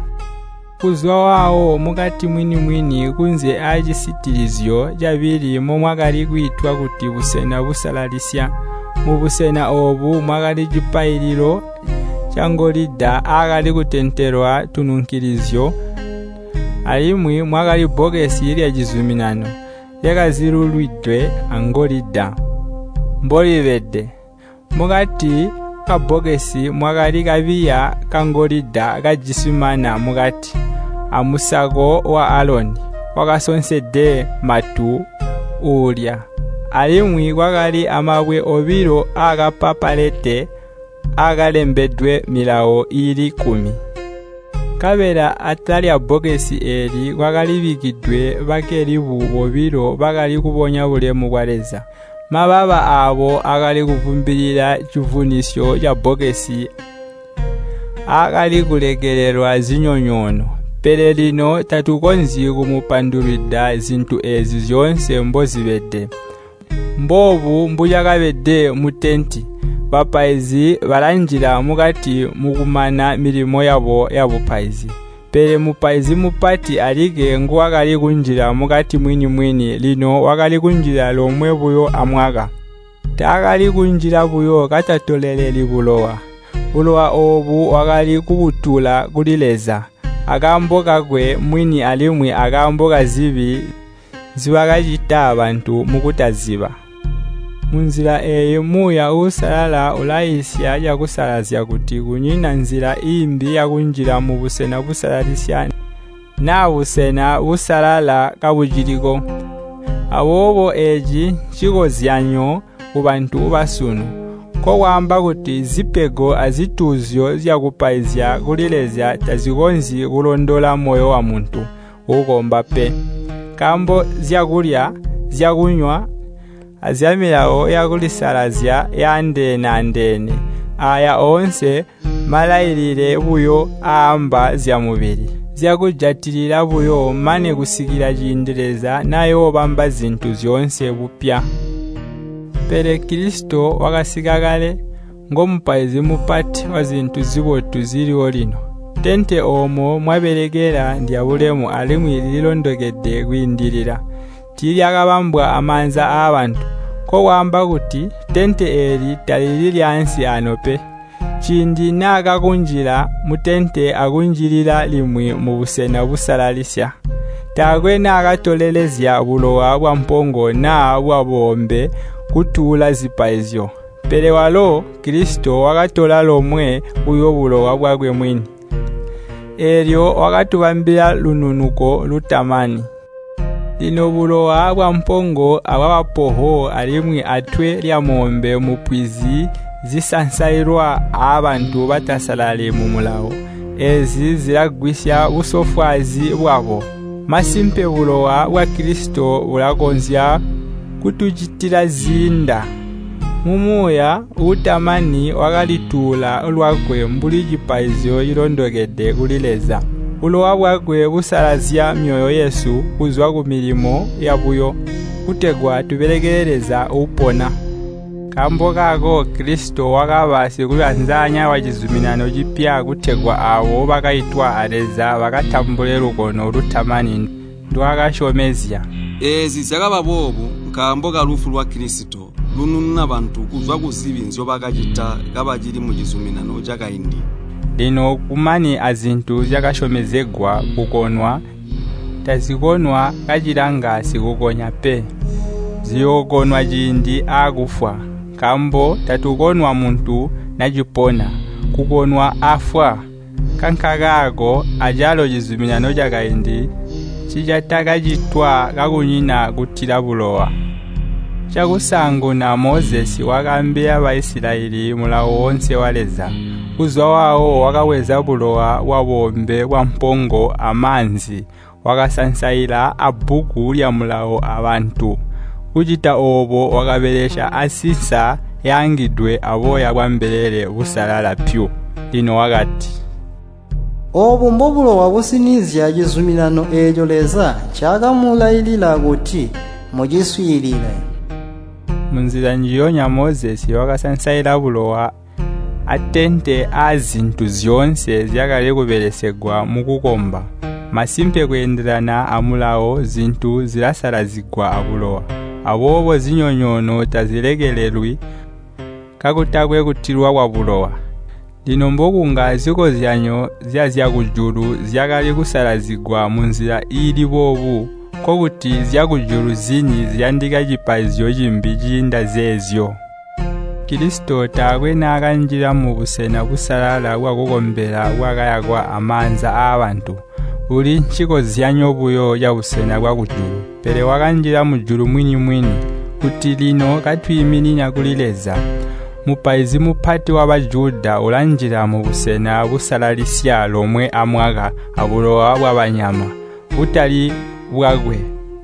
Speaker 2: Kuzwa waawo mukati mwini-mwini kunze aacisitilizyo cabili momwakali kwiitwa kuti busena busalalisya. Mubusena oobu mwakali cipaililo cangolida aakali kutentelwa tununkilizyo, alimwi mwakali bbokesi lyacizuminano lyakazilulwidwe angolida mbolibede. Mukati kabbokesi mwakali kabiya kangolida kajisi mana mukati, amusako wa Aloni wakasonsede matu uulya. Alimwi kwakali amabwe obilo aakapapalete aakalembedwe milawo iili 10. Nkabela atala lyabbokesi eeli kwakalibikkidwe bakelibu bobilo bakali kubonya bulemu bwa Leza. Mababa aabo akali kuvumbilila civunisyo cabbokesi aakali kulekelelwa zinyonyoono. Pele lino tatukonzyi kumupandulwida zintu eezi zyoonse mbozibede. Mboobu mbucakabede mutenti. Bapaizi balanjila mukati mukumana milimo yabo yabupaizi. Pele mupaizi mupati alikke nguwakali kunjila mukati mwini-mwini, lino wakali kunjila lomwe buyo amwaka. Taakali kunjila buyo katatoleleli bulowa. Bulowa oobu wakali kubutula kuli Leza, akaambo kakwe mwini alimwi akaambo kazibi nzibakacita bantu mukutaziba. Munzila eeyi Muuya Uusalala ulaiisya cakusalazya kuti kunyina nzila iimbi yakunjila mubusena busalalisya naa busena busalala kabuciliko. Aboobo eeci ncikozyanyo kubantu basunu, nkokwaamba kuti zipego azituuzyo zyakupaizya kuli Leza tazikonzyi kulondola moyo wamuntu uukomba pe. Nkaambo zyakulya, zyakunywa, azyamilawo yakulisalazya yaandeene-andeene, aaya oonse malailile buyo aamba zyamubili. Zyakujatilila buyo mane kusikila ciindi Leza nayoobamba zintu zyoonse bupya. Pele Kilisito wakasika kale, ngomupaizi mupati wazintu zibotu ziliwo lino. Tente oomo mwabelekela ndyabulemu alimwi lilondokede kwiindilila. Tiilyakabambwa amaanza aabantu, nkokwaamba kuti tente eeli talili lyaansi ano pe. Ciindi naakakunjila mutente akunjilila limwi mubusena busalalisya, taakwe naakatolelezya bulowa bwampongo naa bwaboombe kutuula zipaizyo. Pele walo Kilisito wakatola lomwe buyo bulowa bwakwe mwini. Eelyo wakatubambila lununuko lutamani. Lino bulowa bwampongo abwabapoho alimwi atwe lyamoombe mupwizi zisansailwa aabantu batasalali mumulawo. Eezi zilagwisya busofwaazi bwabo. Masimpe bulowa bwa Kilisito bulakonzya kutucitila ziinda. Mumuuya uutamani wakalituula lwakwe mbuli cipaizyo cilondokede kuli Leza. Bulowa bwakwe busalazya myoyo yesu kuzwa kumilimo yabuyo, kutegwa tubelekele Leza uupona. Nkaambo kaako Kilisito wakaba sikuyanzanya wacizuminano cipya kutegwa aabo bakaitwa a Leza bakatambule lukono lutamani ndwaakasyomezya.
Speaker 7: Eezi zyakaba boobu nkaambo kalufu lwa Kilisito lunununa bantu kuzwa kuzibi nzyobakacita kabacili mucizuminano cakaindi.
Speaker 2: Lino kumani azintu zyakasyomezegwa kukonwa, tazikonwa kacilanga sikukonya pe. Ziyookonwa ciindi aakufwa, nkaambo tatukonwa muntu nacipona, kukonwa afwa. Nkankakaako acalo cizuminano cakaindi ncicatakacitwa kakunyina kutila bulowa. Cakusaanguna Mozesi wakaambila Baisilayeli mulawo woonse wa Leza. Kuzwa waawo wakabweza bulowa bwaboombe bwampongo amaanzi, wakasansaila abbuku lyamulawo abantu. Kucita oobo wakabelesya asinsa yaangidwe aboya bwambelele busalala pyu. Lino wakati,
Speaker 5: Oobu mbobulowa businizya cizuminano eeco Leza ncaakamulailila kuti muciswiilile.
Speaker 2: Munzila njiyonya Mozesi wakasansaila bulowa atente aazintu zyoonse zyakali kubelesegwa mukukomba. Masimpe kweendelana amulawo zintu zilasalazigwa abulowa. Aboobo zinyonyoono tazilekelelwi kakutakwe kutilwa kwabulowa. Lino mbokunga zikozyanyo zyazyakujulu zyakali kusalazigwa munzila iili boobu, nkokuti zyakujulu zini ziyandika cipaizyo cimbi ciinda zeezyo. Kilisito taakwe naakanjila mubusena busalala bwakukombela bwakayakwa amaanza aabantu, buli ncikozyanyo buyo cabusena bwakujulu. Pele wakanjila mujulu mwini-mwini, kuti lino katwiiminina kuli Leza. Mupaizi mupati wa Bajuda ulanjila mubusena busalalisya lomwe amwaka abulowa bwabanyama, butali bwakwe.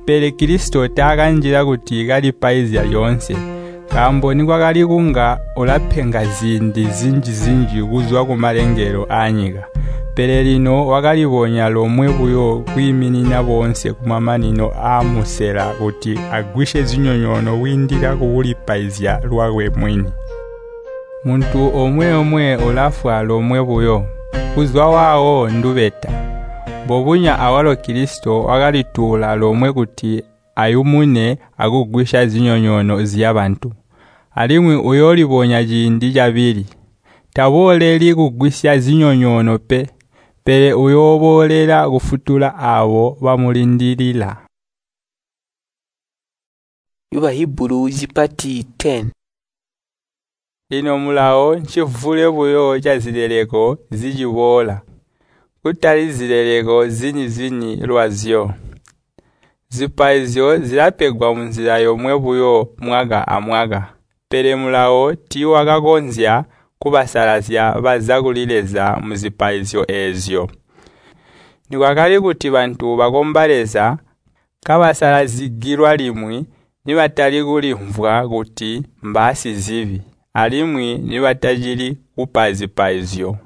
Speaker 2: Pele Kilisito taakanjila kuti kalipaizya lyoonse, nkaambo nikwakali kunga ulapenga ziindi zinji-zinji kuzwa kumalengelo aanyika. Pele lino wakalibonya lomwe buyo kwiiminina boonse kumamanino aamusela kuti agwisye zinyonyoono kwiindila kukulipaizya lwakwe mwini. Muntu omwe-omwe ulafwa lomwe buyo, kuzwa waawo ndubeta. Mbobunya awalo Kilisito wakalituula lomwe kuti ayumune akugwisya zinyonyoono zyabantu. Alimwi uyoolibonya ciindi cabili. Tabooleli kugwisya zinyonyoono pe, pele uyooboolela kufutula aabo bamulindilila.
Speaker 1: Bahibulu zipati 10.
Speaker 2: Lino mulawo ncivule buyo cazileleko ziciboola, kutali zileleko zini-zini lwazyo. Zipaizyo zilapegwa munzila yomwe buyo mwaka amwaka, pele mulawo tiiwakakonzya kubasalazya baza kuli Leza muzipaizyo eezyo. Nikwakali kuti bantu bakomba Leza kabasalazigilwa limwi, nibatali kulimvwa kuti mbaasizibi, alimwi nibatacili kupa zipaizyo.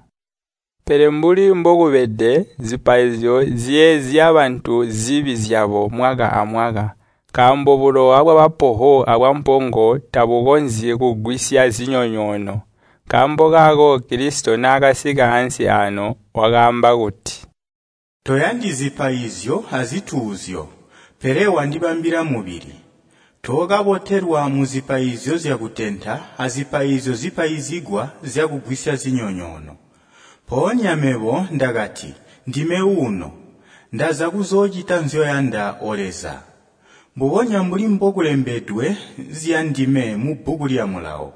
Speaker 2: Pele mbuli mbokubede, zipaizyo ziyeezya bantu zibi zyabo mwaka amwaka, nkaambo bulowa bwabapoho abwampongo tabukonzyi kugwisya zinyonyoono. Nkaambo kaako Kilisito naakasika ansi aano wakaamba kuti,
Speaker 6: Toyandi zipaizyo azituuzyo, pele wandibambila mubili. Tookabotelwa muzipaizyo zyakutenta azipaizyo zipaizigwa zyakugwisya zinyonyoono. Mpoonya mebo ndakati, ndime uuno, ndaza kuzoocita nzyoyanda, O Leza. Mbubonya mbuli mbokulembedwe zyandime mubbuku lya Mulawo.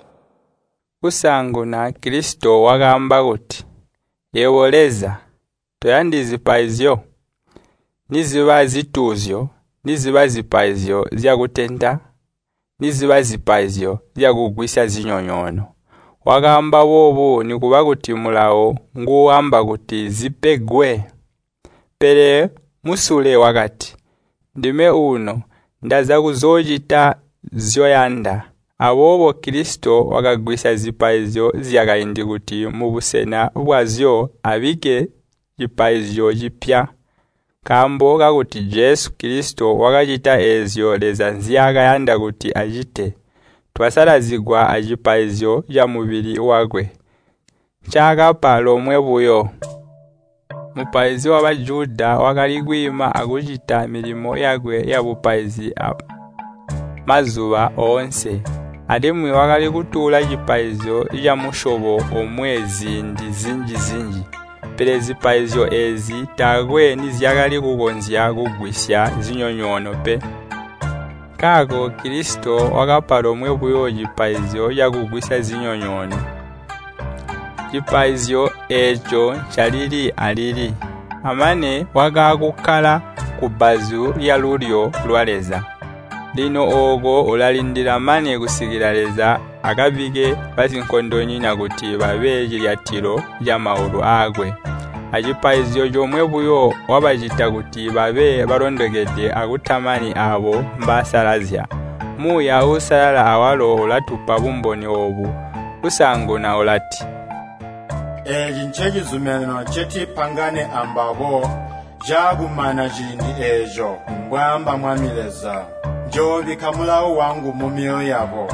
Speaker 2: Kusaanguna Kilisito wakaamba kuti, Yebo Leza, toyandi zipaizyo, niziba zituuzyo, niziba zipaizyo zyakutenta, niziba zipaizyo zyakugwisya zinyonyoono. Wakaamba boobu nikuba kuti Mulawo nguuamba kuti zipegwe. Pele musule wakati, Ndime uuno, ndaza kuzoocita nzyoyanda. Aboobo Kilisito wakagwisya zipaizyo zyakaindi kuti mubusena bwazyo abikke cipaizyo cipya. Nkaambo kakuti Jesu Kilisito wakacita eezyo Leza nzyaakayanda kuti acite, twasalazigwa acipaizyo camubili wakwe, ncaakapa lomwe buyo. Mupaizi wa Bajuda wakali kwiima akucita milimo yakwe yabupaizi mazuba oonse, alimwi wakali kutuula cipaizyo camusyobo omwe ziindi zinji-zinji. Pele zipaizyo eezi taakwe nizyakali kukonzya kugwisya zinyonyoono pe. Nkaako Kilisito wakapa lomwe buyo cipaizyo cakugwisya zinyonyoono. Cipaizyo eeco ncalili alili, amane wakaakukkala kubbazu lyalulyo lwa Leza. Lino ooko ulalindila mane kusikila Leza akabikke basinkondonyina kuti babe cilyatilo camaulu aakwe. Acipaizyo comwe buyo wabacita kuti babe balondokede akutamani aabo mbasalazya. Muuya Uusalala awalo ulatupa bumboni oobu. Kusaanguna ulati,
Speaker 4: Eeci ncecizuminano ncetipangane ambabo caakumana ciindi eeco, mbwaamba Mwami Leza. Njoobikka mulawo wangu mumyoyo yabo,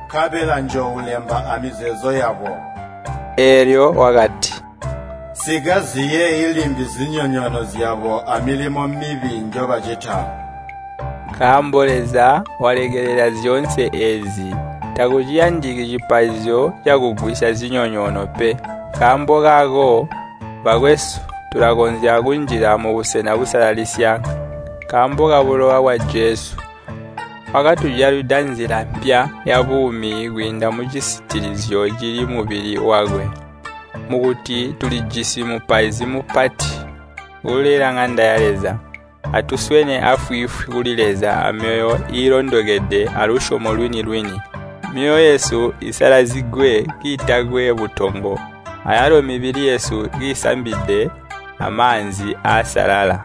Speaker 4: nkabela njooulemba amizeezo yabo.
Speaker 2: Eelyo wakati,
Speaker 4: Nsikaziyeeyi limbi zinyonyoono zyabo amilimo mibi njobacita.
Speaker 2: Nkaambo Leza walekelela zyoonse eezi, takuciyandiki cipaizyo cakugwisya zinyonyoono pe. Nkaambo kaako, bakwesu, tulakonzya kunjila mubusena busalalisya nkaambo kabulowa bwa Jesu. Wakatujalwida nzila mpya yabuumi kwiinda mucisitilizyo cili mubili wakwe. Mukuti tulijisi mupaizi mupati ulela ŋanda ya Leza. Atuswene afwiifwi kuli Leza amyoyo iilondokede alusyomo lwini-lwini. Myoyo yesu isalazigwe kiitakwe butongo, ayalo mibili yesu kiisambide amaanzi aasalala.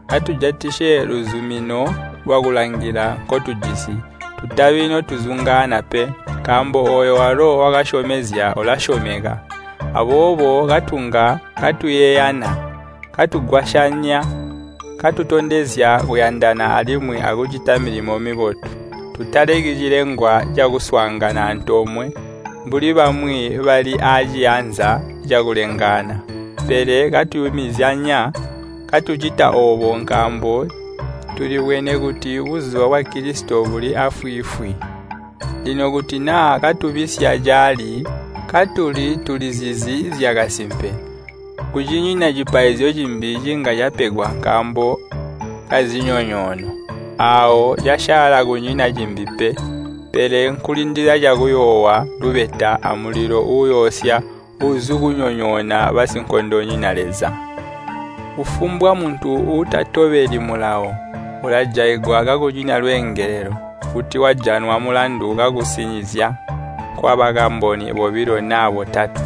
Speaker 2: Atujatisye luzumino lwakulangila nkotujisi, tutabi notuzungaana pe, nkaambo ooyo walo wakasyomezya ulasyomeka. Aboobo katunga katuyeeyana, katugwasyanya, katutondezya kuyandana alimwi akucita milimo mibotu. Tutaleki cilengwa cakuswaangana antoomwe, mbuli bamwi bali aaciyanza cakulengaana. Pele katuyumizyanya, katucita oobo nkaambo tulibwene kuti buzuba bwa Kilisito buli afwiifwi. Lino kuti naa katubisya caali, katuli tulizizi zyakasimpe, kucinyina cipaizyo cimbi cinga capegwa nkaambo kazinyonyoono. Aawo casyaala kunyina cimbi pe, pele nkulindila cakuyoowa lubeta amulilo uuyoosya uuzukunyonyoona basinkondonyina Leza. Kufumbwa muntu uutatobeli mulawo ulajaigwa kakunyina lweengelelo kuti wajanwa mulandu kakusinizya kwabakamboni bobilo naa botatwe.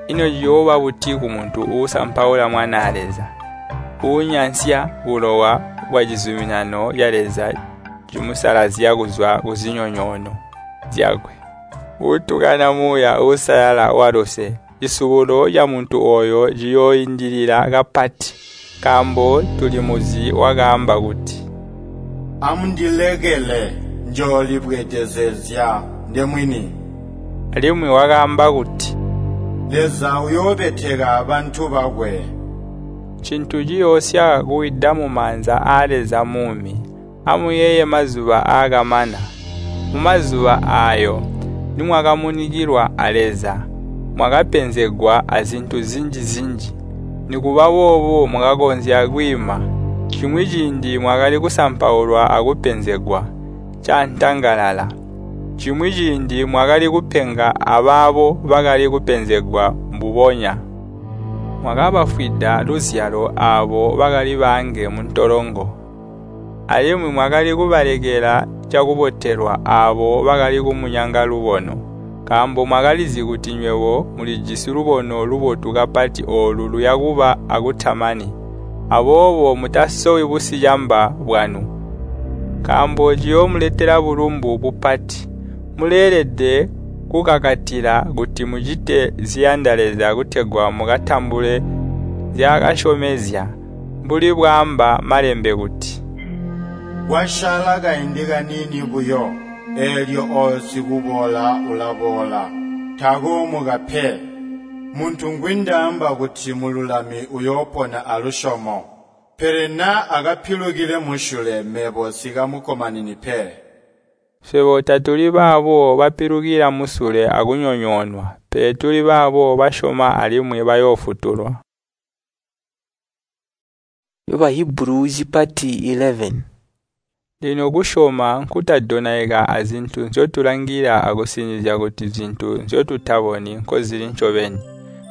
Speaker 2: Ino ciyooba buti kumuntu uusampaula Mwanaa Leza, uunyansya bulowa bwacizuminano ca Leza cimusalazya kuzwa kuzinyonyoono zyakwe, uutukana Muuya Uusalala waluse? Cisubulo camuntu ooyo ciyooindilila kapati, nkaambo tulimuzi wakaamba kuti,
Speaker 4: “Amundilekele, njoolibweedezezya ndemwini.”
Speaker 2: Alimwi wakaamba kuti,
Speaker 4: “Leza uyoobeteka bantu bakwe.”
Speaker 2: Ncintu ciyoosya kuwida mumaanza aa Leza muumi. Amuyeeye mazuba aakamana. Mumazuba aayo nimwakamunikilwa a Leza, mwakapenzegwa azintu zinji-zinji. Nikuba boobo mwakakonzya kwiima. Cimwi ciindi mwakali kusampaulwa akupenzegwa caantangalala. Cimwi ciindi mwakali kupenga abaabo bakali kupenzegwa mbubonya. Mwakabafwida luzyalo aabo bakali baange muntolongo. Alimwi mwakali kubalekela cakubotelwa aabo bakali kumunyanga lubono, nkaambo mwakalizi kuti nywebo mulijisi lubono lubotu kapati oolu luyakuba akutamani. Aboobo mutasowi busicamba bwanu, nkaambo ciyoomuletela bulumbu bupati. Muleelede kukakatila kuti mucite ziyanda Leza kutegwa mukatambule nzyaakasyomezya, mbuli bwaamba Malembe kuti,
Speaker 4: “Kwasyaala kaindi kaniini buyo, eelyo ooyo sikuboola ulaboola, takoomuka pe. Muntu ngwindaamba kuti mululami uyoopona alusyomo. Pele naa akapilukile musyule mebo nsikamukkomanini pe.”
Speaker 2: Swebo tatuli baabo bapilukila musule akunyonyoonwa, pele tuli baabo basyoma alimwi bayoofutulwa.
Speaker 1: Bahibulu cipati 11.
Speaker 2: Lino kusyoma nkutadonaika azintu nzyotulangila akusinizya kuti zintu nzyotutaboni nkozili ncobeni.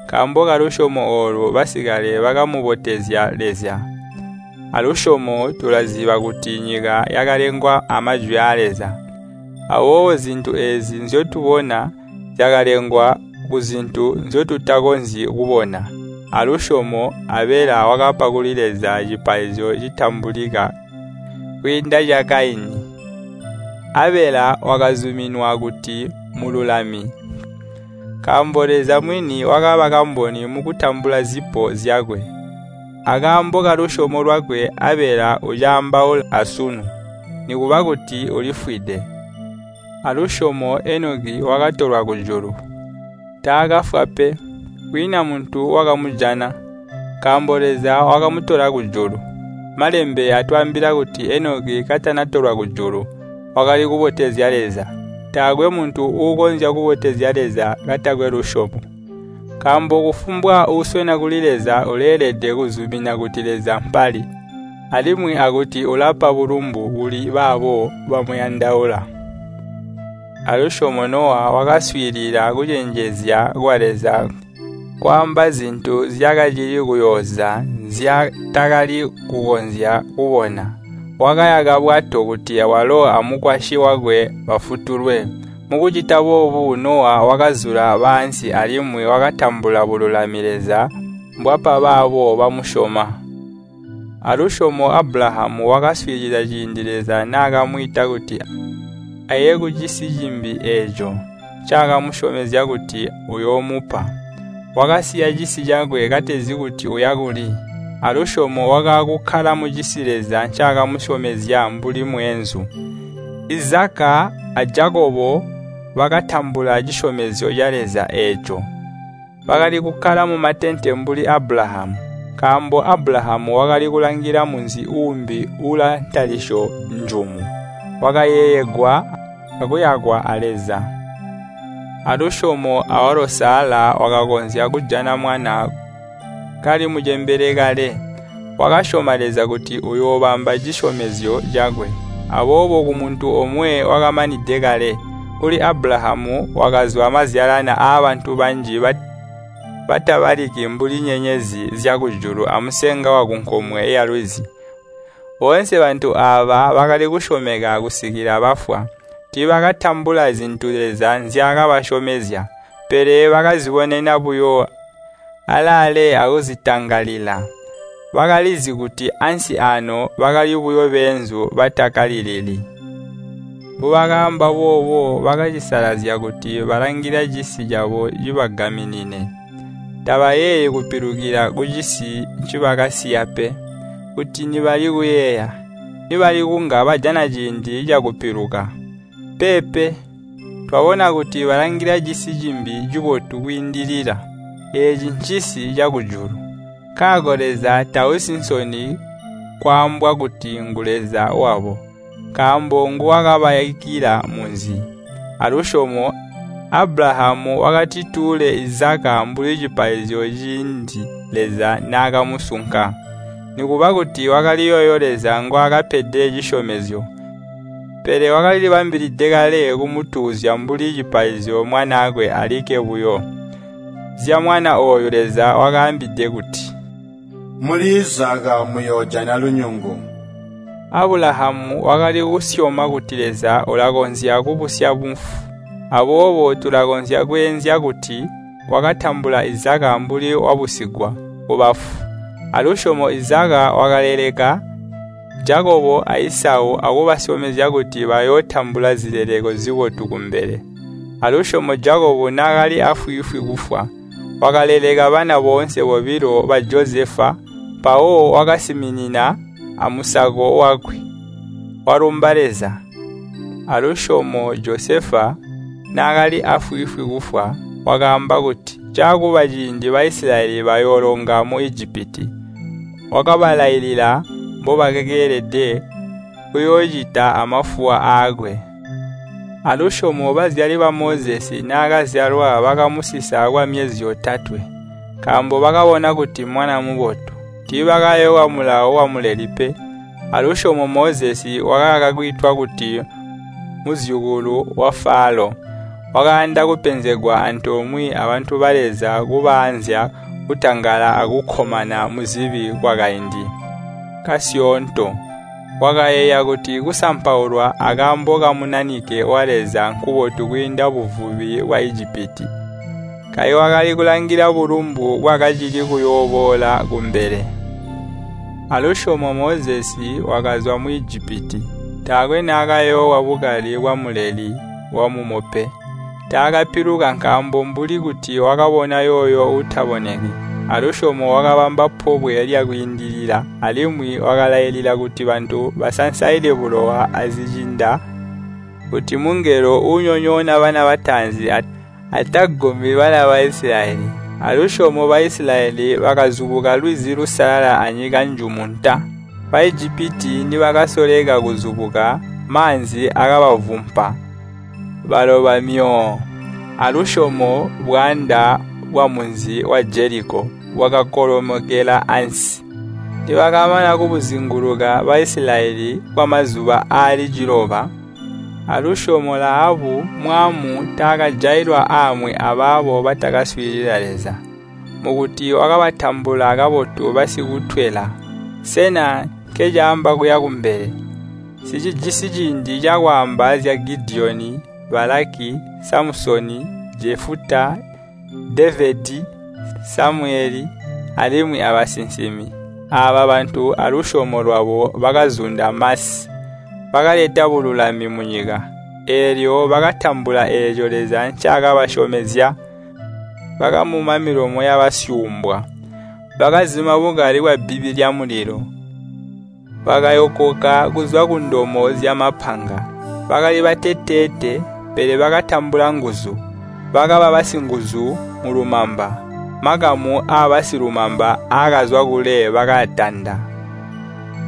Speaker 2: Nkaambo kalusyomo oolu basikale bakamubotezya Leza. Alusyomo tulaziba kuti nyika yakalengwa amajwi aa Leza. Aboobo zintu eezi nzyotubona zyakalengwa kuzintu nzyotutakonzyi kubona. Alusyomo Abela wakapa kuli Leza cipaizyo citambulika kwiinda ca Kaini. Abela wakazuminwa kuti mululami, nkaambo Leza mwini wakaba kamboni mukutambula zipo zyakwe. Akaambo kalusyomo lwakwe Abela ucaambaula asunu, nikuba kuti ulifwide. Alusyomo Enoki wakatolwa kujulu. Taakafwa pe, kwiina muntu wakamujana, nkaambo Leza wakamutola kujulu. Malembe atwaambila kuti Enoki katanatolwa kujulu, wakali kubotezya Leza. Taakwe muntu uukonzya kubotezya Leza katakwe lusyomo. Nkaambo kufumbwa uuswena kuli Leza uleelede kuzumina kuti Leza mpali, alimwi akuti ulapa bulumbu kuli baabo bamuyandaula. Alusyomo Nowa wakaswiilila kucenjezya kwa Leza kwaamba zintu zyakacili kuyooza nzyaatakali kukonzya kubona. Wakayaka bwato kuti walo amukwasyi wakwe bafutulwe. Mukucita boobu Nowa wakazula baansi alimwi wakatambula bululami Leza mbwapa baabo bamusyoma. Alusyomo Abulahamu wakaswiilila ciindi Leza naakamwiita kuti aye kucisi cimbi eeco ncaakamusyomezya kuti uyoomupa. Wakasiya cisi cakwe katezi kuti uya kuli. Alusyomo wakaakukkala mucisi Leza ncaakamusyomezya mbuli mweenzu. Izaka a Jakobo bakatambula cisyomezyo ca Leza eeco. Bakali kukkala mumatente mbuli Abulahamu, nkaambo Abulahamu wakali kulangila munzi uumbi uulaantalisyo njumu, wakayeeyegwa akuyakwa a Leza. Alusyomo awalo Sala wakakonzya kujana mwana kali mucembele kale. Wakasyoma Leza kuti uyoobamba cisyomezyo cakwe. Aboobo kumuntu omwe wakamanide kale, kuli Abulahamu wakazwa mazyalana aabantu banji batabaliki mbuli nyenyezi zyakujulu amusenga wakunkomwe yalwizi. Boonse bantu aaba bakali kusyomeka kusikila bafwa. Tiibakatambula zintu Leza nzyaakabasyomezya, pele bakazibonena buyo alaale akuzitangalila. Bakalizi kuti ansi aano bakali buyo beenzu batakalilili. Mbubakaamba boobo bakacisalazya kuti balangila cisi cabo cibagaminine. Tabayeeyi kupilukila kucisi ncibakasiya pe. Kuti nibali kuyeeya, nibali kunga bajana ciindi cakupiluka. Peepe, twabona kuti balangila cisi cimbi cibotu kwiindilila. Eeci ncisi cakujulu. Nkaako Leza tausi nsoni kwaambwa kuti ngu Leza wabo, nkaambo nguwakabayakila munzi. Alusyomo Abulahamu wakatituule Izaka mbuli cipaizyo ciindi Leza naakamusunka. Nikuba kuti wakali yooyo Leza ngwaakapede cisyomezyo, pele wakalilibambilide kale kumutuuzya mbuli cipaizyo mwanaakwe alikke buyo. Zyamwana ooyu Leza wakaambide kuti,
Speaker 4: “Muli Izaka muyoojana lunyungu.”
Speaker 2: Abulahamu wakali kusyoma kuti Leza ulakonzya kubusya bafu. Aboobo tulakonzya kweenzya kuti wakatambula Izaka mbuli wabusigwa kubafu. Alusyomo Izaka wakaleleka Jakobo a Isau akubasyomezya kuti bayootambula zileleko zibotu kumbele. Alusyomo Jakobo naakali afwiifwi kufwa, wakaleleka bana boonse bobilo ba Josefa, mpawo wakasiminina amusako wakwe, walumba Leza. Alusyomo Josefa naakali afwiifwi kufwa, wakaamba kuti caakuba ciindi Baisilayeli bayoolonga mu Ijipiti. Wakabalailila mbobakeelede kuyoocita amafuwa aakwe. Alusyomo bazyali ba Mozesi naakazyalwa bakamusisa kwamyezi yotatwe, nkaambo bakabona kuti mwana mubotu. Tiibakayoowa mulawo wamuleli pe. Alusyomo Mozesi wakakaka kwiitwa kuti muzyukulu wa Falo. Wakayanda kupenzegwa antoomwe abantu ba Leza kubaanzya kutangala akukkomana muzibi kwakaindi kasyoonto. Wakayeeya kuti kusampaulwa akaambo kamunanike wa Leza nkubotu kwiinda buvubi bwa Ijipiti. Kayi wakali kulangila bulumbu bwakacili kuyooboola kumbele. Alusyomo Mozesi wakazwa mu Ijipiti. Taakwe naakayoowa bukali bwamuleli wamumo pe. Taakapiluka nkaambo mbuli kuti wakabona yooyo uutaboneki. Alusyomo wakabamba pobwe lyakwiindilila alimwi wakalailila kuti bantu basansaile bulowa azicinda kuti mungelo uunyonyoona bana bataanzi atagumi bana ba Isilayeli. Alusyomo Baisilayeli bakazubuka lwizi lusalala anyika njumu nta. Baijipiti nibakasoleka kuzubuka, maanzi akabavumpa, baloba myoo. Alusyomo bwaanda bwamunzi wa Jeliko bwakakolomokela ansi. Nibakamana kubuzinguluka Baisilayeli kwamazuba aali 9, alusyomo Lahabu mwaamu taakajailwa aamwi abaabo batakaswiilila Leza, mukuti wakabatambula kabotu basikutwela. Sena nkecaamba kuya kumbele? Nsicijisi ciindi cakwaamba zya Gidiyoni, Balaki, Samusoni, Jefuta, Devedi, Samuyele, alimwi abasinsimi. Aaba bantu alusyomo lwabo bakazunda masi, bakaleta bululami munyika. Eelyo bakatambula eeco Leza ncaakabasyomezya. Bakamuma milomo yabasyuumbwa, bakazima bukali bwabbibi lyamulilo. Bakayokoka kuzwa kundomo zyamapanga. Bakali bateteete, pele bakatambula nguzu. Bakaba basinguzu mulumamba. Makamu aabasilumamba aakazwa kule bakaatanda.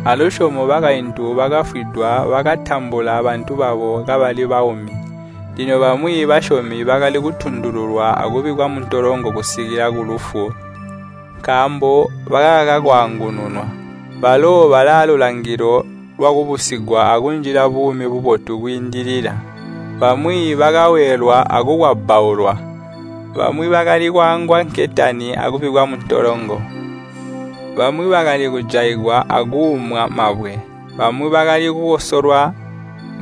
Speaker 2: Alusyomo bakaintu bakafwidwa bakatambula bantu babo kabali baumi. Lino bamwi basyomi bakali kutundululwa akubikkwa muntolongo kusikila kulufu, nkaambo bakakaka kwaangununwa. Balo balaalulangilo lwakubusigwa akunjila buumi bubotu kwiindilila. Bamwi bakaweelwa akukwabbaulwa. Bamwi bakali kwaangwa nketani akubikkwa muntolongo. Bamwi bakali kujaigwa akuumwa mabwe. Bamwi bakali kukosolwa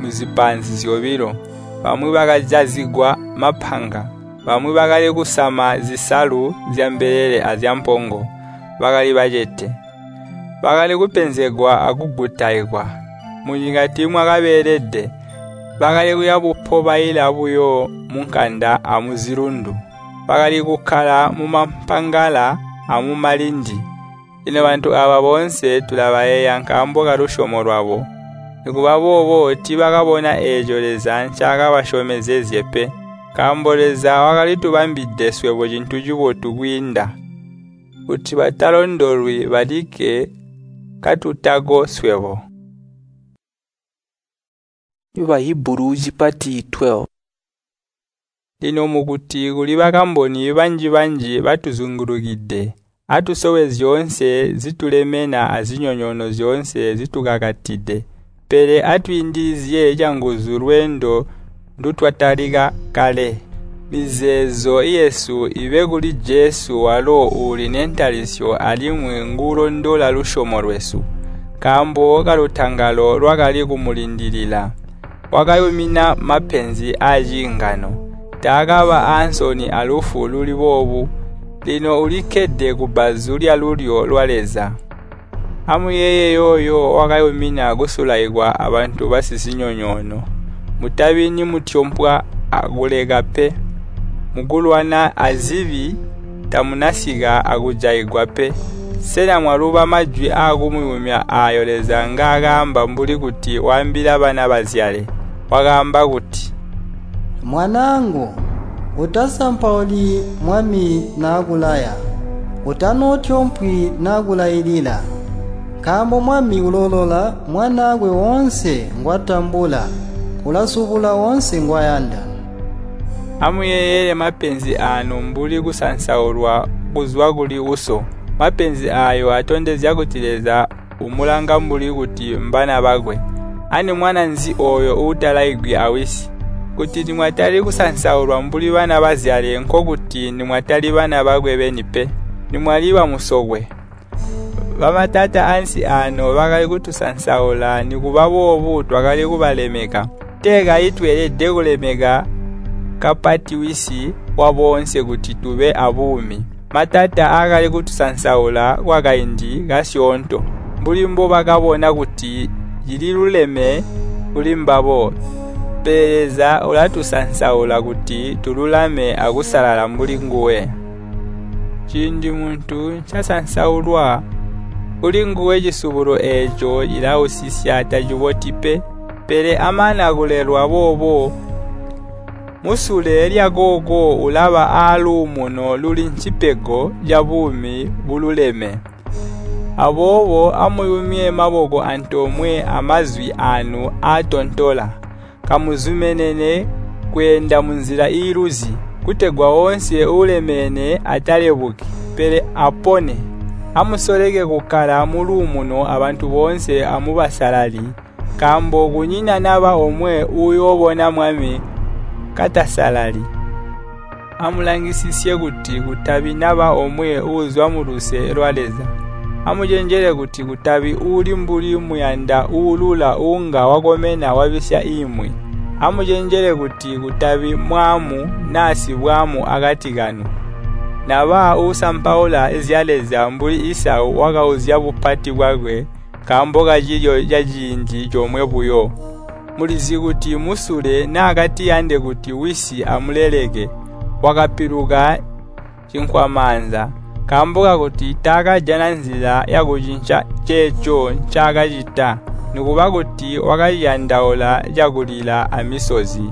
Speaker 2: muzipaanzi zyobilo. Bamwi bakajazigwa mapanga. Bamwi bakali kusama zisalu zyambelele azyampongo. Bakali bacete. Bakali kupenzegwa akugutaikwa. Munyika tiimwakabeelede. Bakali kuya bupobaila buyo munkanda amuzilundu. Bakali kukkala mumampangala amumalindi. Lino bantu aaba boonse tulabayeeya nkaambo kalusyomo lwabo. Nikuba boobo tiibakabona eeco Leza ncaakabasyomezezye pe, nkaambo Leza wakalitubambide swebo cintu cibotu kwiinda, kuti batalondolwi balikke katutako swebo.
Speaker 1: Bahibulu cipati 12.
Speaker 2: Lino mukuti kuli bakamboni banji-banji batuzungulukide, atusowe zyoonse zitulemena azinyonyoono zyoonse zitukakatide. Pele atwiindilizye canguzu lweendo ndutwatalika kale. Mizeezo yesu ibe kuli Jesu walo uuli nentalisyo alimwi nguulondola lusyomo lwesu. Nkaambo kalutangalo lwakali kumulindilila. Wakayumina mapenzi aaciingano. Taakaba aansoni alufu luli boobu. Lino ulikkede kubbazu lyalulyo lwa Leza. Amuyeeye yooyo wakayumina kusulaikwa abantu basizinyonyoono. Mutabi nimutyompwa akuleka pe. Mukulwana azibi tamunasika akujaigwa pe. Sena mwaluba majwi aakumuyumya aayo Leza ngaakaamba mbuli kuti waambila bana bazyale? Wakaamba kuti,
Speaker 5: Mwanaangu, utasampauli Mwami naakulaya, utanootyompwi naakulailila. Nkaambo Mwami uloolola mwanaakwe woonse ngwatambula, ulasubula woonse ngwayanda.
Speaker 2: Amuyeeyele mapenzi aanu mbuli kusansaulwa kuzwa kuli uso. Mapenzi aayo atondezya kuti Leza umulanga mbuli kuti mbana bakwe. Ani mwana nzi ooyo uutalaigwi awisi? Kuti nimwatali kusansaulwa mbuli bana bazyale nkokuti nimwatali bana bakwe beni pe, nimwali bamusokwe. Bamatata ansi aano bakali kutusansaula nikuba boobu twakali kubalemeka. Tee kayi tweelede kulemeka kapati wisi waboonse kuti tube abuumi. Matata aakali kutusansaula kwakaindi kasyoonto, mbuli mbobakabona kuti cililuleme kuli mbabo. Pele Leza ulatusansaula kuti tululame akusalala mbuli nguwe. Ciindi muntu ncasansaulwa, kuli nguwe cisubulo eeco cilausisya taciboti pe. Pele amana kulelwa boobo, musule lyakooko ulaba aaluumuno luli ncipego cabuumi bululeme. Aboobo amuyumye maboko antoomwe amazwi aanu aatontola. Kamuzumenene kweenda munzila iiluzi, kutegwa woonse uulemene atalebuki, pele apone. Amusoleke kukkala muluumuno abantu boonse amubasalali, nkaambo kunyina naba omwe uuyoobona Mwami katasalali. Amulangisisye kuti kutabi naba omwe uuzwa muluse lwa Leza. Amucenjele kuti kutabi uuli mbuli muyanda uulula uunga wakomena wabisya imwi. Amucenjele kuti kutabi mwaamu naa sibwaamu akati kanu, naba uusampaula zya Leza mbuli Isau wakauzya bupati bwakwe nkaambo kacilyo caciindi comwe buyo. Mulizi kuti musule naakatiyande kuti wisi amuleleke, wakapiluka cinkwamaanza, nkaambo kakuti taakajana nzila yakucinca ceeco ncaakacita, nikuba kuti wakaciyandaula cakulila amisozi.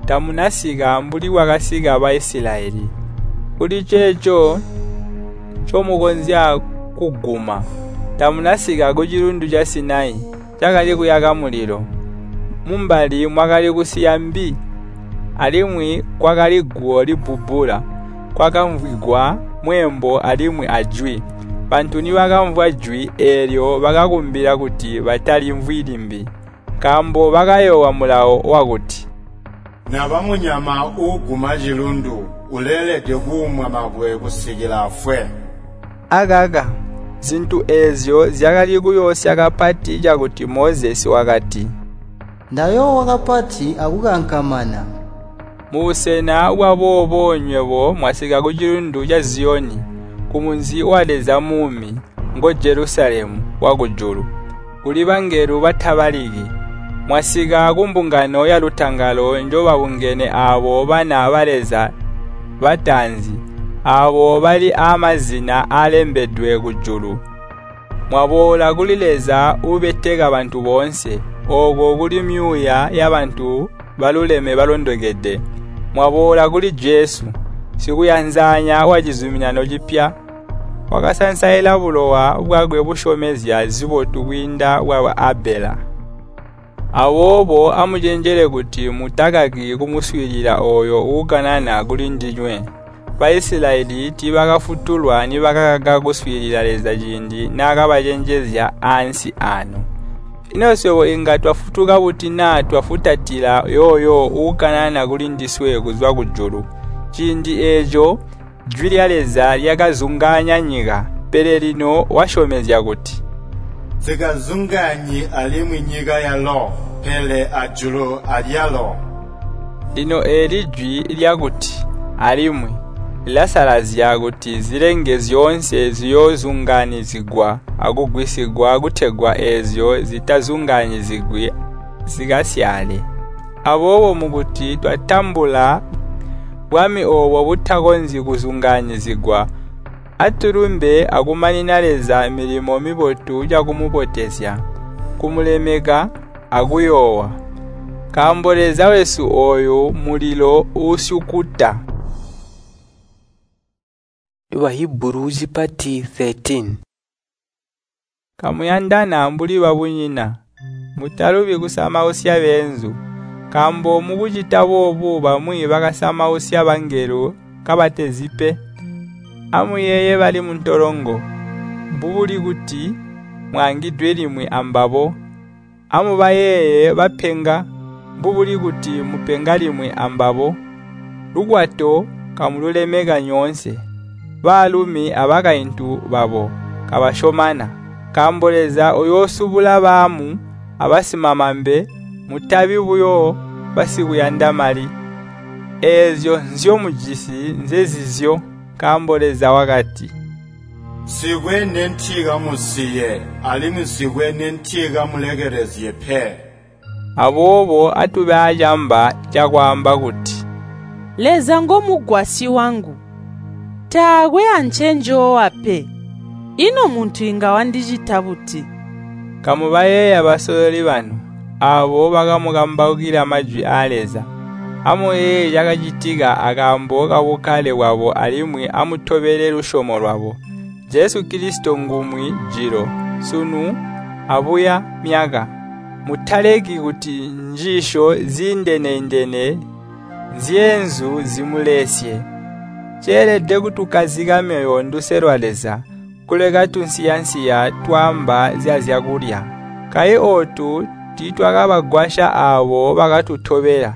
Speaker 2: Tamunasika mbuli bwakasika Baisilayeli. Kuli ceeco ncomukonzya kuguma. Tamunasika kucilundu ca Sinai, cakali kuyaka mulilo. Mumbali mwakali kusiya mbi, alimwi kwakali guwo libbubbula, kwakamvwigwa mweembo alimwi ajwi. Bantu nibakamvwa jwi eelyo bakakumbila kuti batalimvwi limbi, nkaambo bakayoowa mulawo wakuti,
Speaker 4: Naba munyama uuguma cilundu uleelede kuumwa mabwe kusikila afwe.
Speaker 2: Akaka, zintu eezyo zyakali kuyoosya kapati cakuti Mozesi wakati,
Speaker 5: Ndayoowa kapati akukankamana.
Speaker 2: Mubusena bwaboobo nywebo mwasika kucilundu ca Ziyoni, kumunzi wa Leza muumi, ngo Jelusalemu wakujulu, kuli bangelo batabaliki. Mwasika kumbungano yalutangalo njobabungene aabo bana ba Leza bataanzi, aabo bali aamazina aalembedwe kujulu. Mwaboola kuli Leza uubeteka bantu boonse, ooko kuli myuuya yabantu baluleme balondokede. Mwaboola kuli Jesu, sikuyanzanya wacizuminano cipya, wakasansaila bulowa bwakwe busyomezya zibotu kwiinda bwa Abela. Aboobo amucenjele kuti mutakaki kumuswiilila ooyo uukanana kulindinywe. Baisilayeli tiibakafutulwa nibakakaka kuswiilila Leza ciindi naakabacenjezya ansi aano. Ino swebo inga twafutuka buti naa twafutatila yooyo uukanana kulindiswe kuzwa kujulu? Ciindi eeco jwi lya Leza lyakazungaanya nyika, pele lino wasyomezya kuti,
Speaker 4: Nsikazungaanyi alimwi nyika yalo, pele ajulu alyalo.
Speaker 2: Lino eeli jwi lyakuti alimwi lilasalazya kuti zilenge zyoonse ziyoozungaanyizigwa akugwisigwa kutegwa eezyo zitazungaanyizigwi zikasyaale. Aboobo mukuti twatambula bwami oobo butakonzyi kuzungaanyizigwa, atulumbe akumanina Leza milimo mibotu cakumubotezya, kumulemeka akuyoowa. Nkaambo Leza wesu ooyu mulilo uusyukuta.
Speaker 1: Bahibulu zipati 13.
Speaker 2: Kamuyandana mbuli babunyina, mutalubi kusamausya beenzu, nkaambo mukucita boobu bamwi bakasamausya bangelo kabatezi pe. Amuyeeye bali muntolongo, mbubuli kuti mwaangidwe limwi ambabo. Amubayeeye bapenga, mbubuli kuti mupenga limwi ambabo. Lukwato kamululemeka nyoonse, baalumi abakaintu babo kabasyomana, nkaambo Leza uyoosubula baamu abasimamambe. Mutabi buyo basikuyanda mali. Eezyo nzyomujisi nzezizyo, nkaambo Leza wakati,
Speaker 4: Nsikwe nentikamusiye, alimwi nsikwe nentikamulekelezye pe.
Speaker 2: Aboobo atube aacamba cakwaamba kuti,
Speaker 8: Leza ngomugwasyi wangu. Taakwe ancenjoowa pe. Ino muntu inga wandicita buti?
Speaker 2: Kamubayeeya basololi banu, aabo bakamukambaukila majwi aa Leza. Amuyeeye cakacitika akaambo kabukkale bwabo alimwi amutobele lusyomo lwabo. Jesu Kilisito ngumwi jilo, sunu, abuya myaka. Mutaleki kuti njiisyo ziindene-indene zyeenzu zimulesye. Ceelede kutukkazika myoyo nduse lwa Leza, kuleka tunsiyansiya twaamba zyazyakulya. Kayi ootu tiitwakabagwasya aabo bakatutobela.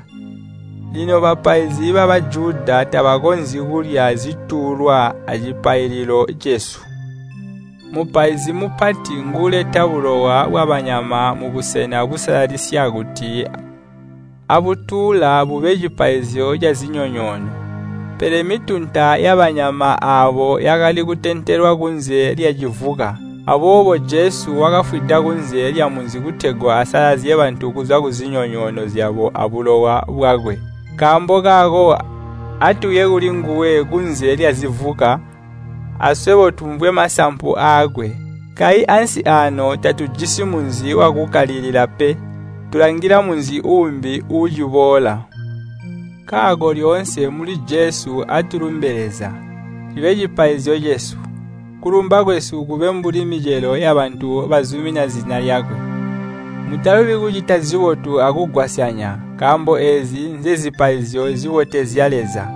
Speaker 2: Lino bapaizi ba Bajuda tabakonzyi kulya zituulwa acipaililo cesu. Mupaizi mupati nguuleta bulowa bwabanyama mubusena busalalisya kuti abutuula bube cipaizyo cazinyonyoono. Pele mitunta yabanyama aabo yakali kutentelwa kunze lyacivuka. Aboobo Jesu wakafwida kunze lyamunzi kutegwa asalazye bantu kuzwa kuzinyonyoono zyabo abulowa bwakwe. Nkaambo kaako atuye kulinguwe kunze lyazivuka, aswebo tumvwe masampu aakwe. Kayi ansi aano tatujisi munzi wakukkalilila pe, tulangila munzi uumbi uuciboola. Nkaako lyoonse muli Jesu atulumbe Leza, cibe cipaizyo cesu. Kulumba kwesu kube mbuli micelo yabantu bazumina zina lyakwe. Mutalubi kucita zibotu akugwasyanya, nkaambo eezi nzezipaizyo zibotezya Leza.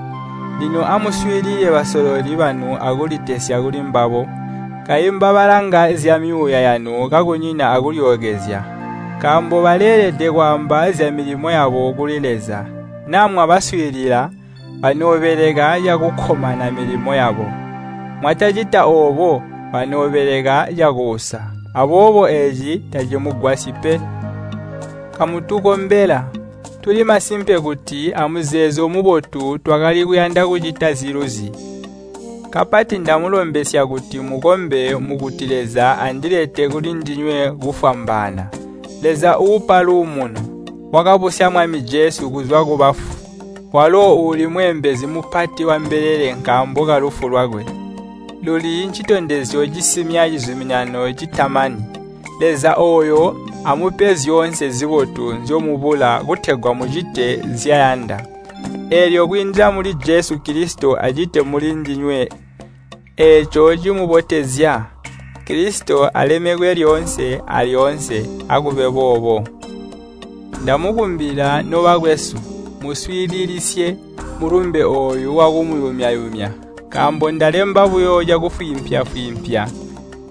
Speaker 2: Lino amuswiilile basololi banu akulitesya kulimbabo. Kayi mbabalanga zyamyuuya yanu kakunyina akulyookezya, nkaambo baleelede kwaamba zyamilimo yabo kuli Leza. Naa mwabaswiilila, banoobeleka cakukkomana milimo yabo. Mwatacita oobo, banoobeleka cakuusa. Aboobo eeci tacimugwasyi pe. Kamutukombela. Tuli masimpe kuti amuzeezo mubotu twakali kuyanda kucita ziluzi. Kapati ndamulombesya kuti mukombe mukuti Leza andilete kulindinywe kufwambaana. Leza uupa luumuno, wakabusya Mwami Jesu kuzwa kubafu. Walo uuli mweembezi mupati wambelele nkaambo kalufu lwakwe. Luli ncitondezyo cisimya cizuminano citamani. Leza ooyo amupe zyoonse zibotu nzyomubula kutegwa mucite nzyayanda. Eelyo kwiindila muli Jesu Kilisito acite mulindinywe eeco cimubotezya. Kilisito alemekwe lyoonse alyoonse. Akube boobo. Ndamukumbila nobakwesu, muswiililisye mulumbe ooyu wakumuyumya-yumya, nkaambo ndalemba buyo cakufwiimpya-fwiimpya.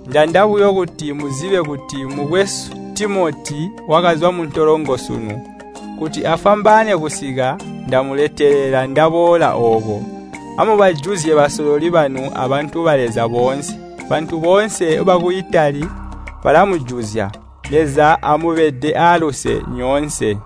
Speaker 2: Njanda buyo kuti muzibe kuti mukwesu Timoti wakazwa muntolongo sunu. Kuti afwambaane kusika, ndamuletelela ndaboola ooko. Amubajuzye basololi banu abantu ba Leza boonse. Bantu boonse baku Itali balamujuzya. Leza amubede aaluse nyoonse.